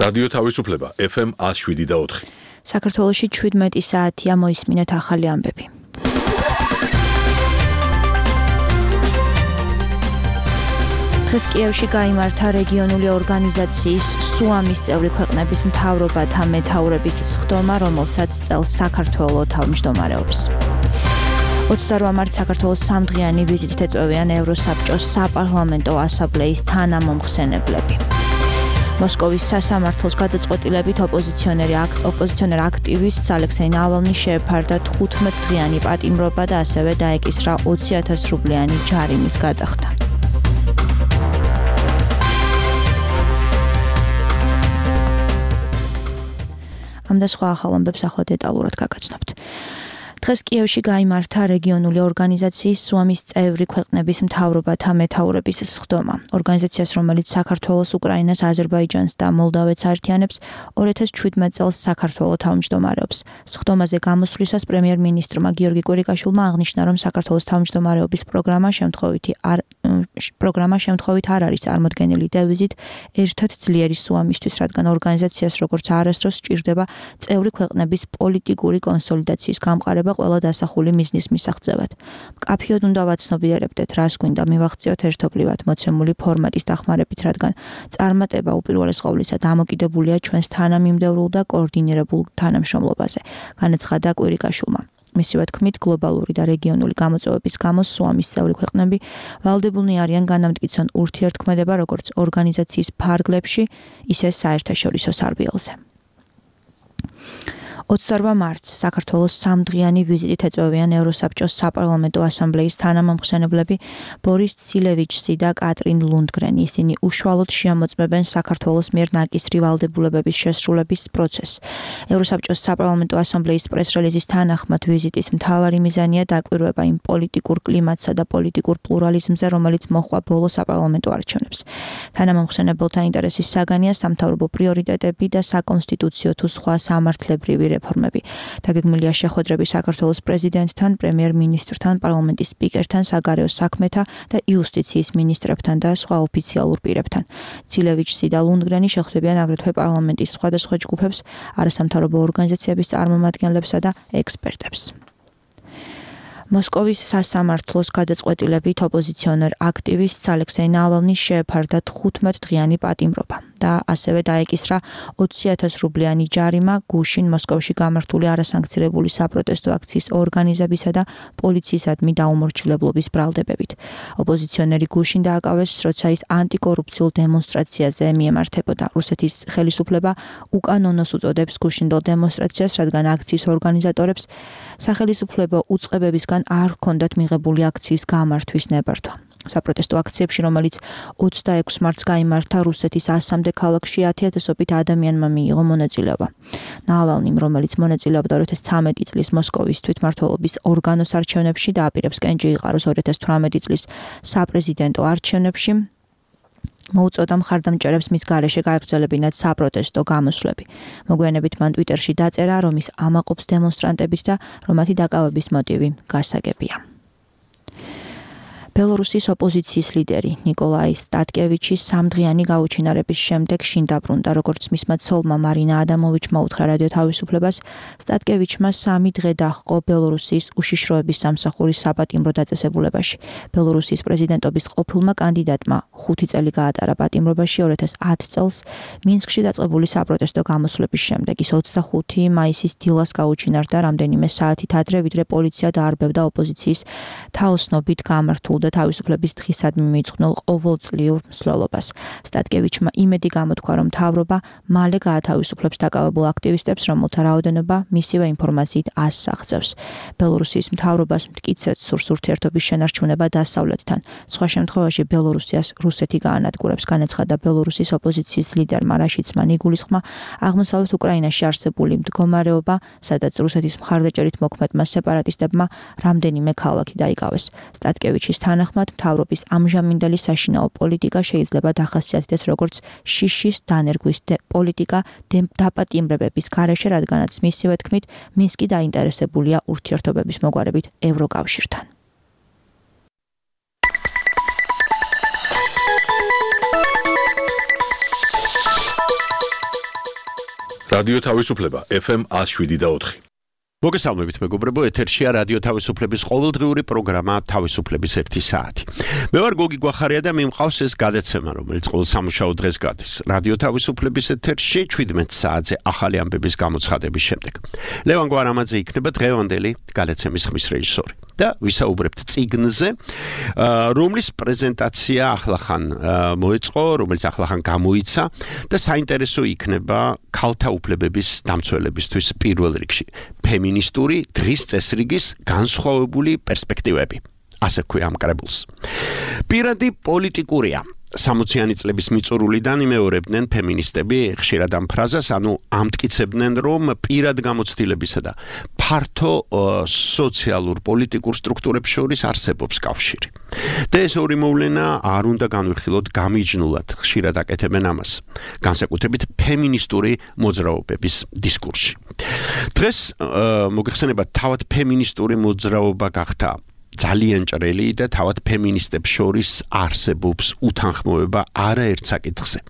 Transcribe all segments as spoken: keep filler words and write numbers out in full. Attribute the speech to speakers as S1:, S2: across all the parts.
S1: რადიო თავისუფლება ეფ ემ one oh seven და four.
S2: საქართველოში შვიდმეტი საათია, მოისმინეთ ახალი ამბები. დღეს კიევში გაიმართა რეგიონული ორგანიზაციის სუამის წევრი ქვეყნების მთავრობათა მეთაურების სხდომა, რომელსაც წელს საქართველო თავმჯდომარეობს. ოცდაოთხ მარტს საქართველოს სამდღიანი ვიზიტით ეწვევიან ევროსაბჭოს საპარლამენტო ასამბლეის თანამომხსენებლები. მოსკოვის სასამართლოს გადაწყვეტილებით ოპოზიციონერი ოპოზიციონერ აქტივისტს ალექსეი ნავალნის შეეფარდა თხუთმეტ დღიანი პატიმრობა და ასევე დაეკისრა ოცი ათას რუბლიანი ჯარიმის გადახდა. ამ და სხვა ახალ ამბებს ახლა დეტალურად გაგაცნობთ. დღეს კიევში გაიმართა რეგიონული ორგანიზაციის სუამის წევრი ქვეყნების მთავრობათა მეთაურების სხდომა. ორგანიზაციას, რომელიც საქართველოს, უკრაინას, აზერბაიჯანს და მოლდავეთს აერთიანებს, ორი ათას შვიდმეტ წელს საქართველო თავმჯდომარეობს. სხდომაზე გამოსვლისას პრემიერ-მინისტრმა გიორგი კვირიკაშვილმა აღნიშნა, რომ საქართველოს თავმჯდომარეობის პროგრამა შემთხვევითი არ პროგრამა შემთხვევით არ არის წარმოდგენილი დევიზით ერთად ძლიერი სუამისთვის, რადგან ორგანიზაციას როგორც არასდროს სჭირდება წევრი ქვეყნების პოლიტიკური კონსოლიდაციის გამყარება ყველა დასახული მიზნის მისაღწევად. მკაფიოდ უნდა ვაცნობიერებდეთ, რას გვინდა მივაღწიოთ ერთობლივად მოცემული ფორმატის დახმარებით, რადგან წარმატება უპირველეს ყოვლისა დამოკიდებულია ჩვენს თანამიმდევრულ და კოორდინირებულ თანამშრომლობაზე, განაცხადა კვირიკაშვილმა. მისივე თქმით, გლობალური და რეგიონული გამოწვევების გამო სუამის წევრი ქვეყნები ვალდებულნი არიან განამტკიცონ ურთიერთქმედება როგორც ორგანიზაციის ფარგლებში, ისე საერთაშორისო სარბიელზე. ოცდაოთხ მარტს საქართველოს სამდღიანი ვიზიტით ეწვევიან ევროსაბჭოს საპარლამენტო ასამბლეის თანამომხსენებლები ბორის ცილევიჩსი და კატრინ ლუნდგრენი. ისინი უშუალოდ შეამოწმებენ საქართველოს მიერ ნაკისრი ვალდებულებების შესრულების პროცესს. ევროსაბჭოს საპარლამენტო ასამბლეის პრეს-რელიზის თანახმად ვიზიტის მთავარი მიზანია დაკვირვება იმ პოლიტიკურ კლიმატსა და პოლიტიკურ პლურალიზმზე, რომელიც მოჰყვა ბოლო საპარლამენტო არჩევნებს. თანამომხსენებელთა ინტერესის საგანია სამთავრობო პრიორიტეტები და საკონსტიტუციო თუ სხვა სამართლებრივი რეფორმები. დაგეგმილია შეხვედრები საქართველოს პრეზიდენტთან, პრემიერ-მინისტრთან, პარლამენტის სპიკერთან, საგარეო საქმეთა და იუსტიციის მინისტრებთან და სხვა ოფიციალურ პირებთან. ცილევიჩსი და ლუნდგრენი შეხვდებიან აგრეთვე პარლამენტის სხვადასხვა ჯგუფებს, არასამთავრობო ორგანიზაციების წარმომადგენლებსა და ექსპერტებს. მოსკოვის სასამართლოს გადაწყვეტილებით ოპოზიციონერ აქტივისტს ალექსეი ნავალნის შეეფარდა თხუთმეტ დღიანი პატიმრობა და ასევე დაეკისრა ოცი ათას რუბლიანი ჯარიმა გუშინ მოსკოვში გამართული არასანქცირებული საპროტესტო აქციის ორგანიზებისა და პოლიციისადმი დაუმორჩილებლობის ბრალდებებით. ოპოზიციონერი გუშინ დააკავეს, როცა ის ანტიკორუფციულ დემონსტრაციაზე მიემართებოდა. რუსეთის ხელისუფლება უკანონოს უწოდებს გუშინდელ დემონსტრაციას, რადგან აქციის ორგანიზატორებს სახელისუფლებო უწყებებისგან არ ჰქონდათ მიღებული აქციის გამართვის ნებართვა. საპროტესტო აქციებში, რომელიც ოცდაექვსი მარტს გაიმართა რუსეთის ასამდე ქალაქში, ათიათასობით ადამიანმა მიიღო მონაწილეობა. ნავალნიმ, რომელიც მონაწილეობდა ორი ათას ცხრამეტი წლის მოსკოვის თვითმმართველობის ორგანოს არჩევნებში და აპირებს კენჭი იყაროს ორი ათას თვრამეტი წლის საპრეზიდენტო არჩევნებში, მოუწოდა მხარდამჭერებს მის გარეშე გაეგრძელებინათ საპროტესტო გამოსვლები. მოგვიანებით მან ტვიტერში დაწერა, რომ ის ამაყობს დემონსტრანტებით და რომ მათი დაკავების მოტივი გასაგებია. ბელორუსის ოპოზიციის ლიდერი ნიკოლაი სტატკევიჩის სამდღიანი გაუჩინარების შემდეგ შინ დაბრუნდა, როგორც მისმა ცოლმა მარინა ადამოვიჩმა უთხრა რადიო თავისუფლებას. სტატკევიჩმა სამი დღე დაჰყო ბელორუსის უშიშროების სამსახურის საპატიმრო დაწესებულებაში. ბელორუსის პრეზიდენტობის ყოფილმა კანდიდატმა ხუთი წელი გაატარა პატიმრობაში ორი ათას ათი წელს მინსკში დაწყებული საპროტესტო გამოსვლების შემდეგ. ის ოცდახუთი მაისის დილას გაუჩინარდა რამდენიმე საათით ადრე, ვიდრე პოლიცია დაარბევდა ოპოზიციის თაოსნობით გამართულ და თავისუფლების დღისადმი მიწყნელ ყოველწლიურ მსვლელობას. სტატკევიჩმა იმედი გამოთქვა, რომ მთავრობა მალე გაათავისუფლებს დაკავებულ აქტივისტებს, რომელთა რაოდენობა მისივე ინფორმაციით ასს აღწევს. ბელორუსის მთავრობას მტკიცედ სურს ურთიერთობის შენარჩუნება დასავლეთთან. სხვა შემთხვევაში ბელორუსიას რუსეთი გაანადგურებს, განაცხადა ბელორუსის ოპოზიციის ლიდერმა რაშიცმა ნიგულისხმა. აღმოსავლეთ უკრაინაში არსებული მდგომარეობა, სადაც რუსეთის მხარდაჭერით მოქმედმა სეპარატისტებმა რამდენიმე ქალაქი დაიკავეს. სტატკევიჩის თანახმად, მთავრობის ამჟამინდელი საშინაო პოლიტიკა შეიძლება დახასიათდეს როგორც შიშის დანერგვის პოლიტიკა დაპატიმრებების გარეშე, რადგანაც მისივე თქმით, მინსკი დაინტერესებულია ურთიერთობების მოგვარებით ევროკავშირთან.
S1: რადიო თავისუფლება ეფ ემ one oh seven point four.
S3: მოგესალმებით მეგობრებო, ეთერშია რადიო თავისუფლების ყოველდღიური პროგრამა თავისუფლების ერთი საათი. მე ვარ გოგი გვახარია და მიმყავს ეს გადაცემა, რომელიც ყოველ სამუშაო დღეს გადის. რადიო თავისუფლების ეთერში შვიდმეტ საათზე ახალი ამბების გამოცხადების შემდეგ. ლევან გვარამაძე იქნება დღევანდელი გადაცემის ხმის რეჟისორი. და ვისაუბრებთ წიგნზე, რომლის პრეზენტაცია ახლახან მოეწყო, რომელიც ახლახან გამოიცა და საინტერესო იქნება ქალთა უფლებების დამცველებისთვის პირველ რიგში. ფემინისტური დღის წესრიგის განსხვავებული პერსპექტივები. ასე ქვია ამ კრებულს. პირადი პოლიტიკურია. სამოციანი წლების მიწურულიდან იმეორებდნენ ფემინისტები ხშირად ამ ფრაზას, ანუ ამტკიცებდნენ, რომ პირად გამოცდილებისა და ფართო სოციალურ პოლიტიკურ სტრუქტურებს შორის არსებობს კავშირი. და ეს ორი მოვლენა არ უნდა განვიხილოთ გამიჯნულად, ხშირად აკეთებენ ამას, განსაკუთრებით ფემინისტური მოძრაობების დისკურსში. დღეს მოგეხსენება თავად ფემინისტური მოძრაობა გახდა ძალიან ჭრელი და თავად ფემინისტებს შორის არსებობს უთანხმოება არაერთ საკითხზე.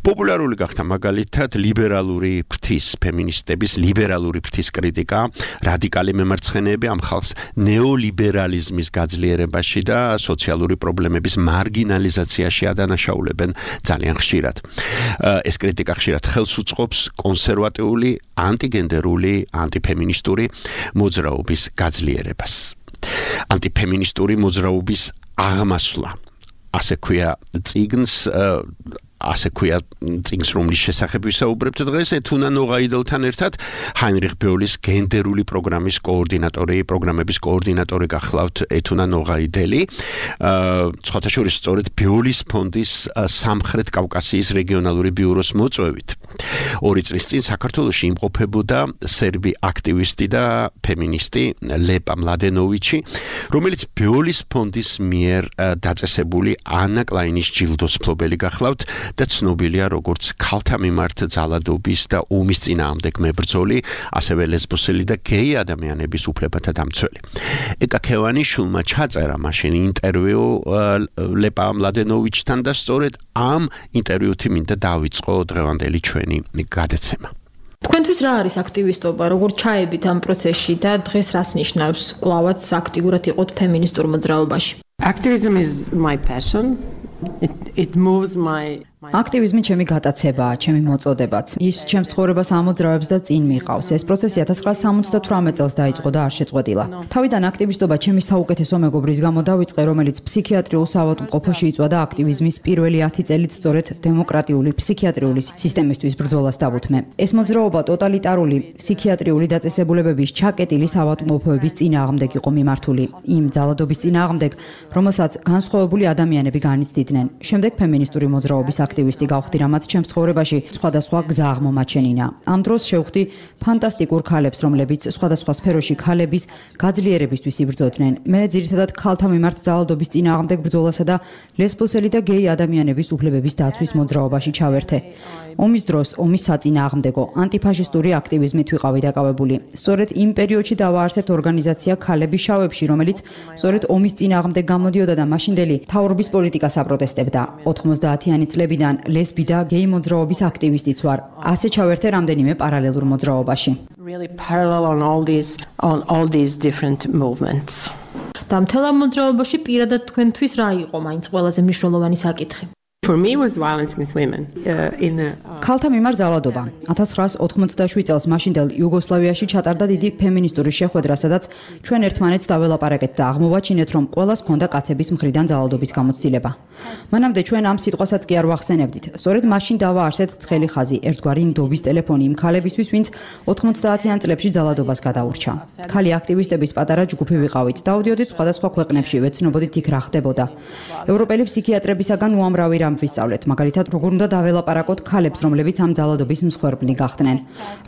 S3: პოპულარული გახდა მაგალითად ლიბერალური ფრთის ფემინისტების ლიბერალური ფრთის კრიტიკა, რადიკალი მემარცხენეები ამ ხალხს ნეოლიბერალიზმის გაძლიერებაში და სოციალური პრობლემების მარგინალიზაციაში ადანაშაულებენ ძალიან ხშირად. ეს კრიტიკა ხშირად ხელს უწყობს კონსერვატიული, ანტიგენდერული, ანტიფემინისტური მოძრაობის გაძლიერებას. ანტიფემინისტური მოძრაობის აღმასვლა. ასე ქვია წიგნს, ასე ქვია წიგნს, რომლის შესახებ ვისაუბრებთ დღეს, ეთუნა ნოღაიდელთან ერთად ჰაინრიხ ბეოლის გენდერული პროგრამის კოორდინატორი, პროგრამების კოორდინატორი გახლავთ ეთუნა ნოღაიდელი. სხვათა შორის სწორედ ბეოლის ფონდის სამხრეთ კავკასიის რეგიონალური ბიუროს მოწვევით. ორი წლის წინ საქართველოში იმყოფებოდა სერბი აქტივისტი და ფემინისტი ლეპა მლადენოვიჩი, რომელიც ბეოლის ფონდის მიერ დაწესებული ანა კლაინის ჯილდოს მფლობელი გახლავთ და ცნობილია როგორც ქალთა მიმართ ძალადობის და ომის წინააღმდეგ მებრძოლი, ასევე ლესბოსელი და გეი ადამიანების უფლებათა დამცველი. ეკა ქევანიშვილმა ჩაწერა მაშინ ინტერვიუ ლეპა მლადენოვიჩთან და სწორედ ამ ინტერვიუთი მინდა დავიწყო დღევანდელი ჩვენი გადაცემა.
S4: თქვენთვის რა არის აქტივისტობა, როგორ ჩაებით ამ პროცესში და დღეს რას ნიშნავს კვლავაც აქტიურად იყოთ ფემინისტურ მოძრაობაში?
S5: Activism is my passion. It, it moves my
S6: აქტივიზმი ჩემი გატაცებაა, ჩემი მოწოდებაც. ის ჩემს ცხოვრებას ამოძრავებს და წინ მიყავს. ეს პროცესი one thousand nine hundred seventy-eight წელს დაიწყო და არ შეწყვეტილა. თავიდან აქტივისტობა ჩემი საუკეთესო მეგობრის გამო დავიწყე, რომელიც ფსიქიატრიულ საავადმყოფოში იწვა და აქტივიზმის პირველი ათი წელით სწორედ დემოკრატიული ფსიქიატრიული სისტემისთვის ბრძოლას დავუთმე. ეს მოძრაობა ტოტალიტარული ფსიქიატრიული დაწესებულებების ჩაკეტილი საავადმყოფოების წინააღმდეგ იყო მიმართული. იმ ძალადობის წინააღმდეგ, რომელსაც განსხვავებული ადამიანები განიცდიდნენ. შემდეგ ფემინისტური მოძრაობის აქტივისტი გავხდი, რამაც ჩემს ცხოვრებაში სხვადასხვა გზა აღმომაჩენინა. ამ დროს შევხვდი ფანტასტიკურ ქალებს, რომლებიც სხვადასხვა სფეროში ქალების გაძლიერებისთვის იბრძოდნენ. მე ძირითადად ქალთა მიმართ ძალადობის წინააღმდეგ ბრძოლასა და ლესბოსელი და გეი ადამიანების უფლებების დაცვის მოძრაობაში ჩავერთე. ომის დროს ომის საწინააღმდეგო ანტიფაშისტური აქტივიზმით ვიყავი დაკავებული. სწორედ იმ პერიოდში დავაარსეთ ორგანიზაცია ქალები შავებში, რომელიც სწორედ ომის წინააღმდეგ გამოდიოდა და მაშინდელი მთავრობის პოლიტიკას აპროტესტებდა. ოცდაათიანი წლებიდან ლესბი და გეი მოძრაობის აქტივისტიც ვარ. ასე ჩავერთე რამდენიმე პარალელურ მოძრაობაში.
S5: really parallel on all these on all these different movements.
S4: და მთელ ამ მოძრაობაში პირადად თქვენთვის რა იყო მაინც ყველაზე მნიშვნელოვანი საკითხი?
S5: For me was violence against women uh, in a
S6: ქალთა მიმართ ძალადობა. one thousand nine hundred ოთხმოცდაშვიდ წელს მაშინდელ იუგოსლავიაში ჩატარდა დიდი ფემინისტური შეხვედრა, სადაც ჩვენ ერთმანეთს დაველაპარაკეთ და აღმოვაჩინეთ, რომ ყველას ჰქონდა კაცების მხრიდან ძალადობის გამოცდილება. მანამდე ჩვენ ამ სიტყვასაც კი არ ვახსენებდით. სწორედ მაშინ დავაარსეთ ცხელი ხაზი, ერთგვარი ნდობის ტელეფონი იმ ქალებისთვის, ვინც ოცდაათიან წლებში ძალადობას გადაურჩა. ქალი აქტივისტების პატარა ჯგუფი ვიყავით. დავდიოდით სხვადასხვა ქვეყნებში, ვეცნობოდით იქ რა ხდებოდა. ევროპელი ფსიქიატრებისაგან უამრავი რამ ვისწავლეთ, მაგალითად, როგორ უნდა დაველაპარაკოთ ქალებს, რომლებიც ამ ძალადობის მსხვერპლი გახდნენ.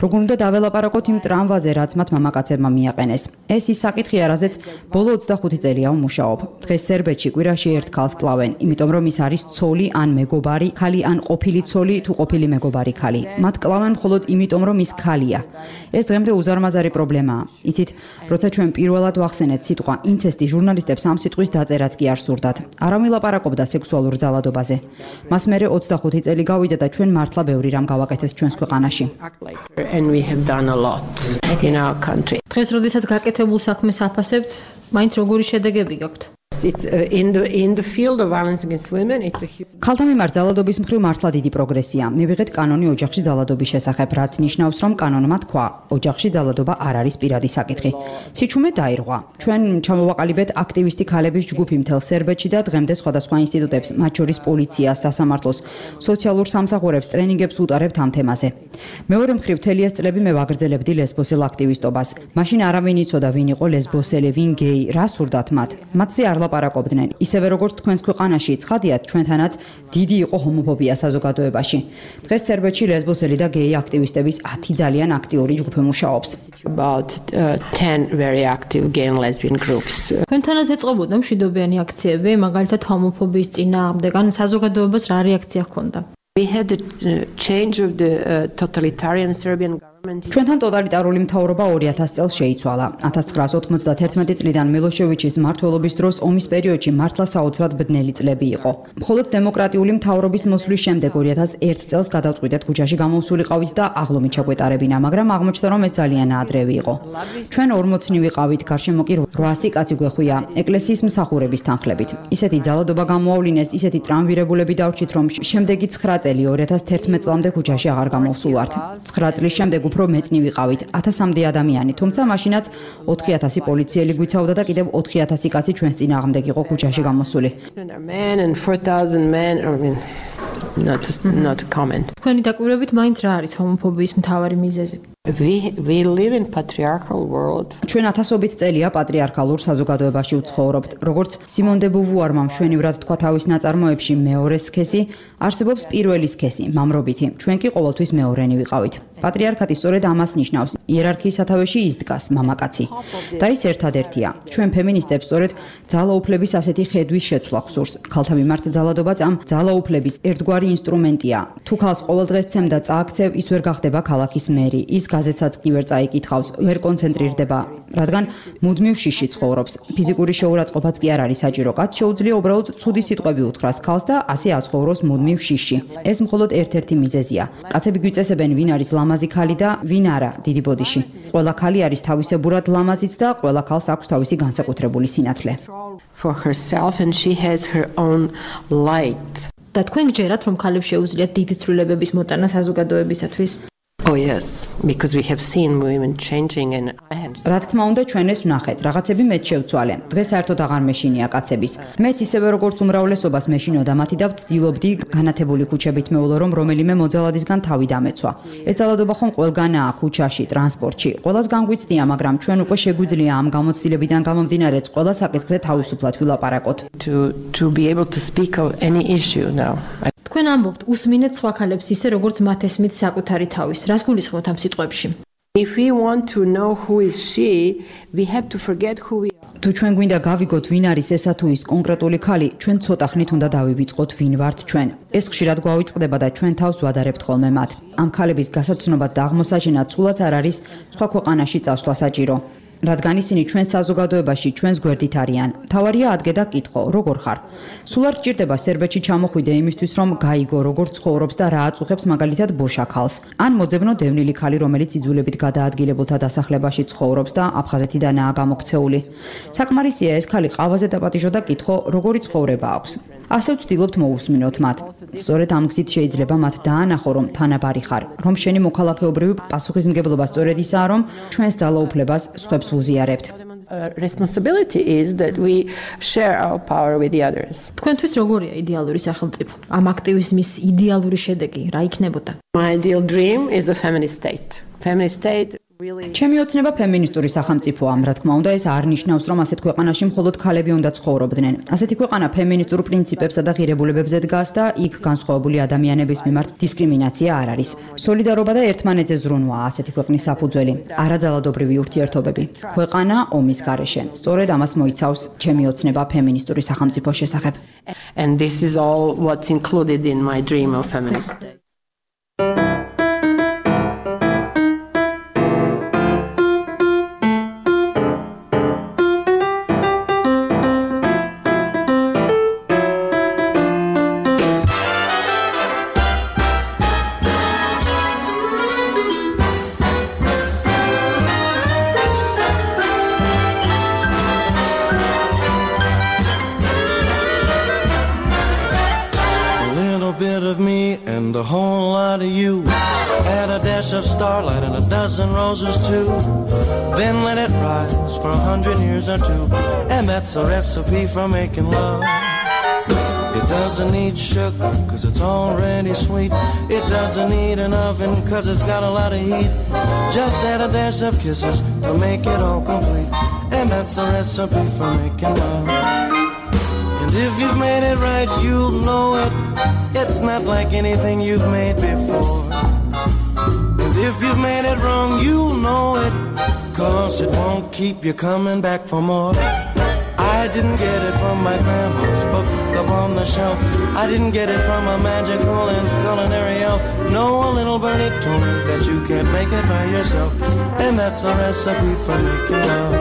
S6: როგორ უნდა დაველაპარაკოთ იმ ტრამვაზე, რაც მათ მამაკაცებმა მიაყენეს. ეს ის საკითხია, რაზეც ბოლო ოცდახუთი წელია ვმუშაობ. დღეს სერბეთში კვირაში ერთ ქალს კლავენ, იმიტომ რომ ის არის ცოლი ან მეგობარი ქალი ან ყოფილი ცოლი თუ ყოფილი მეგობარი ქალი. მათ კლავენ მხოლოდ იმიტომ, რომ ის ქალია. ეს დღემდე უზარმაზარი პრობლემაა. იცით, როცა ჩვენ პირველად ვახსენეთ სიტყვა ინცესტი, ჟურნალისტებს ამ სიტყვის დაწერაც კი არ სურდათ. არავინ ლაპარაკობდა სექსუალურ ძალადობაზე. მას მერე ოცდახუთი წელი გავიდა და ჩვენ მართლა ბევრი რამ გავაკეთეთ ჩვენს ქვეყანაში.
S5: And we have done a lot in our country.
S4: დღეს როდესაც გაკეთებულ საქმეს აფასებთ, მაინც როგორი შედეგები გაქვთ?
S5: It's uh, in the in the field of violence against women it's a huge
S6: ქალთა მიმართ ძალადობის მხრივ მართლა დიდი პროგრესია. მივიღეთ კანონი ოჯახში ძალადობის შესახებ, რაც ნიშნავს, რომ კანონმა თქვა, ოჯახში ძალადობა არ არის პირადი საკითხი. სიჩუმე დაირღვა. ჩვენ ჩამოვაყალიბეთ აქტივისტი ქალების ჯგუფი მთელ სერბეთში და დღემდე სხვადასხვა ინსტიტუტებს, მათ შორის პოლიციას, სასამართლოს, სოციალურ სამსახურებს ტრენინგებს უტარებთ ამ თემაზე. მეორე მხრივ მთელი ეს წლები მე ვაგრძელებდი ლესბოსელ აქტივისტობას. მაშინ არავინ იცოდა ვინ იყო ლესბოსელი, ვინ გეი, რა სურდათ მათ. მათზე არ ლაპარაკობდნენ. ისევე როგორც თქვენს ქვეყანაში ცხადიათ, ჩვენთანაც დიდი იყო ჰომოფობია საზოგადოებაში. დღეს სერბეთში ლესბოსელი და გეი აქტივისტების ათი ძალიან აქტიური ჯგუფი მუშაობს.
S5: about uh, ten very active gay and lesbian groups.
S4: თქვენთანაც ეწყობოდა მშვიდობიანი აქციები, მაგალითად ჰომოფობიის წინააღმდეგ, ან საზოგადოებას რა რეაქცია ჰქონდა?
S5: We had the uh, change of the uh, totalitarian Serbian government.
S6: ჩვენთან ტოტალიტარული მთავრობა ორი ათას წელს შეიცვალა. ათას ცხრაას ოთხმოცდაათი წლიდან მილოშევიჩის მმართველობის დროს ომის პერიოდში მართლა საოცრად ბედნელი წლები იყო. მხოლოდ დემოკრატიული მთავრობის მოსვლის შემდეგ ორი ათას ერთ წელს გადავწყვიტეთ ქუჩაში გამოსულიყავით და აღლომით ჩაგვეტარებინა, მაგრამ აღმოჩნდა, რომ ეს ძალიან ადრევი იყო. ჩვენ ორმოცნი ვიყავით, გარშემო კი რვასი კაცი გვეხვია, ეკლესიის მსახურების თანხლებით. ისეთი ძალადობა გამოავლინეს, ისეთი ტრამვირებულები დავრჩით, რომ შემდეგი ცხრა წელი ორი ათას თერთმეტ წლამდე ქუჩაში აღარ გამოვსულვართ. ცხრა წლის შემდეგ უფრო მეტნი ვიყავით, ათასამდე ადამიანი, თუმცა მაშინაც ოთხი ათასი პოლიციელი გვიცავდა და კიდევ ოთხი ათასი კაცი ჩვენს წინააღმდეგ იყო ქუჩაში გამოსული.
S5: Men and four thousand men, I mean, not not a comment.
S4: თქვენი დაკვირვებით მაინც რა არის ჰომოფობიის მთავარი მიზეზი?
S5: We we live in patriarchal world.
S6: ჩვენ ათასობით წელია პატრიარქალურ საზოგადოებაში ვცხოვრობთ. როგორც სიმონ დე ბუვუარმა მშვენივრად თქვა თავის ნაწარმოებში, მეორე სქესი არსებობს პირველი სქესი, მამრობითი. ჩვენ კი ყოველთვის მეორენი ვიყავით. პატრიარქატი სწორედ ამას ნიშნავს. იერარქიის სათავეში ის დგას, მამაკაცი. და ის ერთადერთია. ჩვენ ფემინისტებს სწორედ ძალაუფლების ასეთი ხედვის შეცვლა გვსურს. ქალთა მიმართ ძალადობაც ამ ძალაუფლების ერთგვარი ინსტრუმენტია. თუ ქალს ყოველ დღეს ცემ და წააქცევ, ის ვერ გახდება ქალაქის მერი. ის გაზეთსაც კი ვერ წაიკითხავს, ვერ კონცენტრირდება, რადგან მუდმივ შიში ცხოვრობს. ფიზიკური შეურაცხყოფაც კი არ არის საჭირო. კაც შეუძლია უბრალოდ ცუდი სიტყვები უთხრას ქალს და ასე აცხოვროს მუდმივ შიში. ეს მხოლოდ ერთ-ერთი მიზეზია. კაცები გვიწესებენ, ვინ არის ლამაზი ქალი და ვინ არა, დიდი ბოდიში. ყველა ქალი არის თავისებურად ლამაზიც და ყველა ქალს აქვს თავისი განსაკუთრებული სინათლე.
S5: For herself and she has her own light.
S4: და თქვენ გჯერათ, რომ ქალებს შეუძლიათ დიდი ცვლილებების მოტანა საზოგადოებისათვის?
S5: Oh yes, because we have seen women changing and I have
S6: რა თქმა უნდა, ჩვენ ეს ვნახეთ. რაღაცები მეც შევცვალე. დღეს საერთოდ აღარ მეშინია კაცების. მეც ისევე როგორც უმრავლესობას მეშინოდა მათი და ვცდილობდი განათებული ქუჩებით მეულო, რომ რომელიმე მოძალადისგან თავი დამეცვა. ეს ძალადობა ხომ ყველგანაა, ქუჩაში, ტრანსპორტში. ყველას განგვიცდია, მაგრამ ჩვენ უკვე შეგვიძლია ამ გამოცდილებიდან გამომდინარე ყველა საკითხზე თავისუფლად ვილაპარაკოთ.
S5: to to be able to speak of any issue now. I
S4: თქვენ ამბობთ, უსმინეთ სხვა ქალებს ისე, როგორც მათ ესმით საკუთარი თავის. რას გულისხმობთ ამ სიტყვებში?
S5: If we want to know who is she, we have to forget who we are.
S6: თუ ჩვენ გვინდა გავიგოთ, ვინ არის ესა თუ ის კონკრეტული ქალი, ჩვენ ცოტა ხნით უნდა დავივიწყოთ, ვინ ვართ ჩვენ. ეს ხშირად გვავიწყდება და ჩვენ თავს ვადარებთ ხოლმე მათ. ამ ქალების გასაცნობად და აღმოსაჩენად სულაც არ არის სხვა ქვეყანაში წასვლა საჭირო. რადგან ისინი ჩვენს საზოგადოებაში ჩვენს გვერდით არიან. თავარია ადგე და კითხო, როგორ ხარ? სულ არ გჭირდება სერბეთში ჩამოხვიდე იმისთვის, რომ გაიგო, როგორ ცხოვრობს და რა აწუხებს მაგალითად ბოშა ქალს. ან მოძებნო დევნილი ქალი, რომელიც იძულებით გადაადგილებულთა დასახლებაში ცხოვრობს და აფხაზეთიდანაა გამოქცეული. საკმარისია ეს ქალი ყავაზე დაპატიჟო და კითხო, როგორი ცხოვრება აქვს. ასე ვცდილობთ მოусმინოთ მათ. სწორედ ამ გზით შეიძლება მათ დაანახო, რომ თანაბარი ხარ, რომ შენი მოქალაქეობრივი პასუხისმგებლობა სწორედ ისაა, რომ ჩვენს ძალაუფლებას სხვებს ვუზიარებთ.
S5: Uh, responsibility is that we share our power with the others.
S4: თქვენთვის როგორია იდეალური სახელმწიფო? ამ აქტივიზმის იდეალური შედეგი რა იქნებოდა?
S5: My ideal dream is a feminist state. Feminist state really
S6: ჩემი ოცნება ფემინისტური სახელმწიფოა. რა თქმა უნდა, ეს არ ნიშნავს, რომ ასეთ ქვეყანაში მხოლოდ ქალები უნდა ცხოვრობდნენ. ასეთი ქვეყანა ფემინისტურ პრინციპებსა და ღირებულებებზე დგას და იქ განსხვავებული ადამიანების მიმართ დისკრიმინაცია არ არის. სოლიდარობა და ერთმანეთზე ზრუნვაა ასეთი ქვეყნის საფუძველი, არაძალადობრივი ურთიერთობები. ქვეყანა ომის გარეშე. სწორედ ამას მოიცავს ჩემი ოცნება ფემინისტური სახელმწიფოს შესახებ.
S5: and this is all what's included in my dream of feminist state.
S7: of starlight and a dozen roses too. Then let it rise for a hundred years or two. And that's a recipe for making love. It doesn't need sugar, cause it's already sweet. It doesn't need an oven, cause it's got a lot of heat. Just add a dash of kisses to make it all complete. And that's a recipe for making love. And if you've made it right, you'll know it. It's not like anything you've made before. And if you've made it wrong, you'll know it, cause it won't keep you coming back for more. I didn't get it from my grandma's book up on the shelf. I didn't get it from a magical and culinary elf. No, a little birdie told me that you can't make it by yourself. And that's a recipe for making love.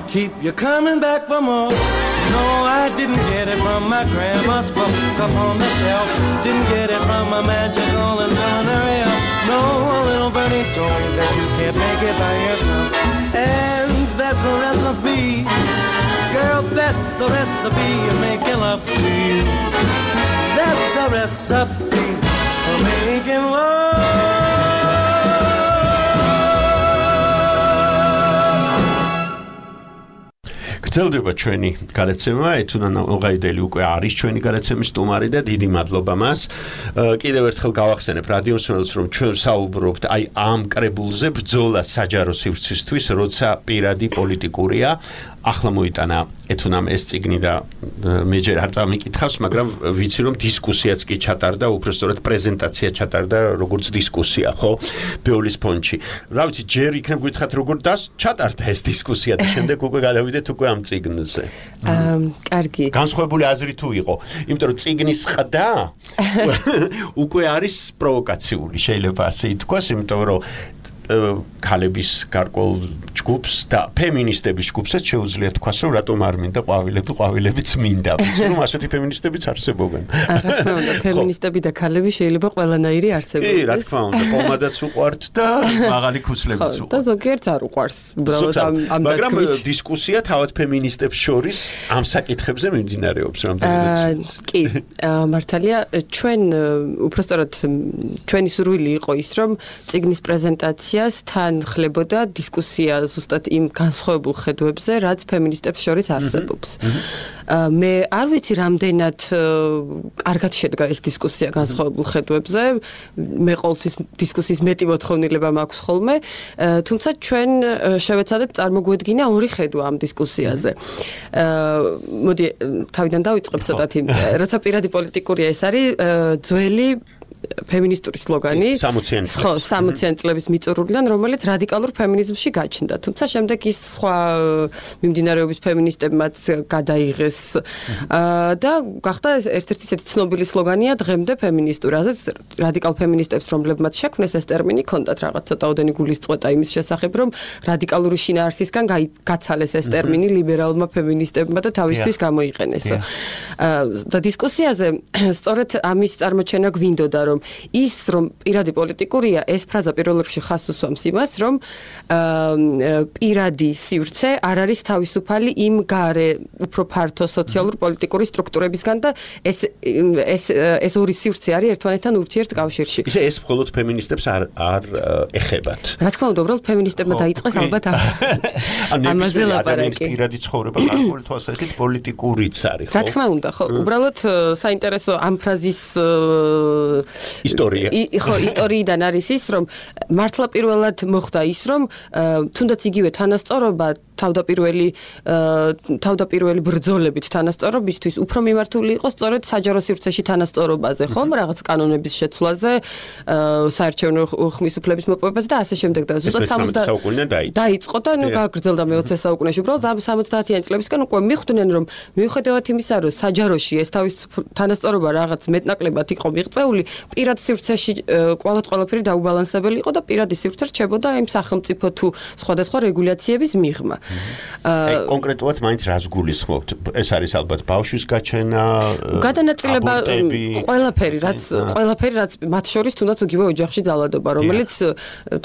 S7: Keep you coming back for more. No, I didn't get it from my grandma's book up on the shelf. Didn't get it from a magical and culinary elf. No, a little birdie told me that you can't make it by yourself. And that's a recipe, girl, that's the recipe of making love to you. That's the recipe for making love.
S3: გრძელდება ჩვენი გადაცემა, ეთუნანა ოღაიდელი უკვე არის ჩვენი გადაცემის სტუმარი და დიდი მადლობა მას. კიდევ ერთხელ გავახსენებ რადიო მსმენელს, რომ ჩვენ საუბრობთ აი ამ კრებულზე ბრძოლა საჯარო სივრცისთვის, როცა პირადი პოლიტიკურია. ახლა მოიტანა ეთუნამ ეს წიგნი და მე ჯერ არ წამიკითხავს, მაგრამ ვიცი რომ დისკუსიაც კი ჩატარდა, უბრალოდ პრეზენტაცია ჩატარდა, როგორც დისკუსია, ხო? ბეოლის ფონდში. რა ვიცი, ჯერ იქნებ გითხრათ როგორ დას ჩატარდა ეს დისკუსია და შემდეგ უკვე გადავიდეთ უკვე ამ წიგნზე.
S8: აა, კარგი.
S3: განსხვავებული აზრი თუ იყო, იმიტომ რომ წიგნის ყდა უკვე არის პროვოკაციული, შეიძლება ასე ითქვას, იმიტომ რომ ქალების გარკვეულ ჯგუფს და ფემინისტების ჯგუფსაც შეუძლია თქვას, რომ რატომ არ მინდა ყვავილები, ყვავილებიც მინდა. ვიცი რომ ასეთი ფემინისტებიც არსებობენ.
S8: რა თქმა უნდა, ფემინისტები და ქალები შეიძლება ყველანაირი არსებობდეს.
S3: კი, რა თქმა უნდა, კომადაც უყვართ და მაღალი ქუსლებიც
S8: უყვართ. და ზოგიერთს არ უყვარს. უბრალოდ ამ ამ
S3: მაგრამ დისკუსია თავად ფემინისტებს შორის ამ საკითხებზე მიმდინარეობს რამდენიმე წელს.
S8: კი, მართალია, ჩვენ უბრალოდ ჩვენი სურვილი იყო ის, რომ წიგნის პრეზენტაცია თან ხლებოდა დისკუსია ზუსტად იმ განსხვავებულ ხედვებზე, რაც ფემინისტებს შორის არსებობს. მე არ ვიცი რამდენად კარგად შედგა ეს დისკუსია განსხვავებულ ხედვებზე. მე ყოველთვის დისკუსიის მეტი მოთხოვნილება მაქვს ხოლმე, თუმცა ჩვენ შევეცადეთ წარმოგვედგინა ორი ხედვა ამ დისკუსიაზე. მოდი თავიდან დავიწყებ ცოტათი, როცა პირადი პოლიტიკურია ეს არის ძველი ფემინისტური სლოგანი, ხო, სამოციანი წლების მიწურულიდან, რომელიც რადიკალურ ფემინიზმში გაჩნდა. თუმცა შემდეგ ის სხვა მიმდინარეობის ფემინისტებმაც გადაიღეს და გახდა ერთ-ერთი ისეთი ცნობილი სლოგანია დღემდე ფემინისტური. ასეც რადიკალ ფემინისტებს, რომლებმაც შექმნეს ეს ტერმინი, ჰქონდათ რაღაც ცოტაოდენი გულისწყობა იმის შესახებ, რომ რადიკალური შინაარსისგან გაცალეს ეს ტერმინი ლიბერალმა ფემინისტებმა და თავისთვის გამოიყენეს. და დისკუსიაზე სწორედ ამის წარმოჩენა გვინდოდა, რომ ის რომ პირადი პოლიტიკურია, ეს ფრაზა პირველ რიგში ხაზს უსვამს იმას, რომ პირადი სივრცე არ არის თავისუფალი იმ გარე უფრო ფართო სოციალურ პოლიტიკური სტრუქტურებისგან და ეს ეს ეს ორი სივრცე არის ერთმანეთთან ურთიერთ კავშირში.
S3: ისე ეს მხოლოდ ფემინისტებს არ არ ეხებათ.
S8: რა თქმა უნდა, უბრალოდ ფემინისტებმა დაიწყეს ალბათ ამაზე ლაპარაკი.
S3: პირადი ცხოვრება გარკვეული თვალსაზრისით პოლიტიკურიც არის, ხო?
S8: რა თქმა უნდა, ხო, უბრალოდ საინტერესო ამ ფრაზის
S3: ისტორია.
S8: ხო, ისტორიიდან არის ის, რომ მართლა პირველად მოხდა ის, რომ თუნდაც იგივე თანასწორობა თავდაპირველი თავდაპირველი ბრძოლებით თანასწორობისთვის უფრო მიმართული იყო სწორედ საჯარო სივრცეში თანასწორობაზე, ხომ, რაღაც კანონების შეცვლაზე, საარჩევნო ხმის უფლების მოპოვებაზე და ასე შემდეგ და ზუსტად სამოცდაათი
S3: საუკუნიდან
S8: დაიწყო და ნუ გაგრძელდა მეოცე საუკუნეში. უბრალოდ ამ სამოცდაათიან წლებისგან უკვე მიხვდნენ, რომ მიუხედავად იმისა, რომ საჯაროში ეს თავის თანასწორობა რაღაც მეტნაკლებად იყო მიღწეული, პირად სივრცეში კვლავაც ყველაფერი დაუბალანსებელი იყო და პირადი სივრცე რჩებოდა იმ სახელმწიფო თუ სხვადასხვა რეგულაციების მიღმა.
S3: აი კონკრეტულად მაინც რას გულისხმობთ? ეს არის ალბათ ბავშვის გაჩენა,
S8: გადანაწილება, ყველაფერი, რაც ყველაფერი, რაც მათ შორის თუნდაც იგივე ოჯახში ძალადობა, რომელიც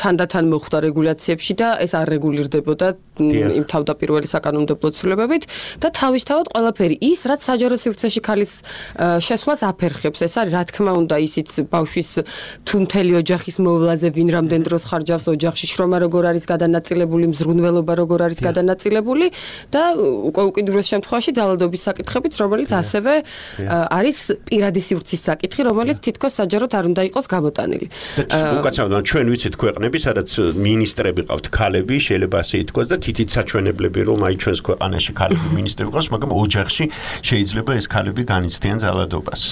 S8: თანდათან მოხვდა რეგულაციებში და ეს არ რეგულირდებოდა იმ თავდაპირველი საკანონმდებლო ცვლილებებით და თავისთავად ყველაფერი ის, რაც საჯარო სივრცეში ქალის შესვლას აფერხებს. ეს არის რა თქმა უნდა ისიც ბავშვის თუ მთელი ოჯახის მოვლაზე ვინ რამდენ დროს ხარჯავს ოჯახში, შრომა როგორ არის გადანაწილებული, მზრუნველობა როგორ არის გადანაწილებული და უკვე უკიდურეს შემთხვევაში ძალადობის საკითხებიც, რომელიც ასევე არის პირადი სივრცის საკითხი, რომელიც თითქოს საჯაროდ არ უნდა იყოს გამოტანილი.
S3: უკაცრავად ჩვენ ვიცით ქვეყნები, სადაც მინისტრები ყავთ ქალები, შეიძლება ასე ითქვას და თითით საჩვენებლები რომ აი ჩვენს ქვეყანაში ქალები მინისტრები ყავს, მაგრამ ოჯახში შეიძლება ეს ქალები განიცდიან ძალადობას.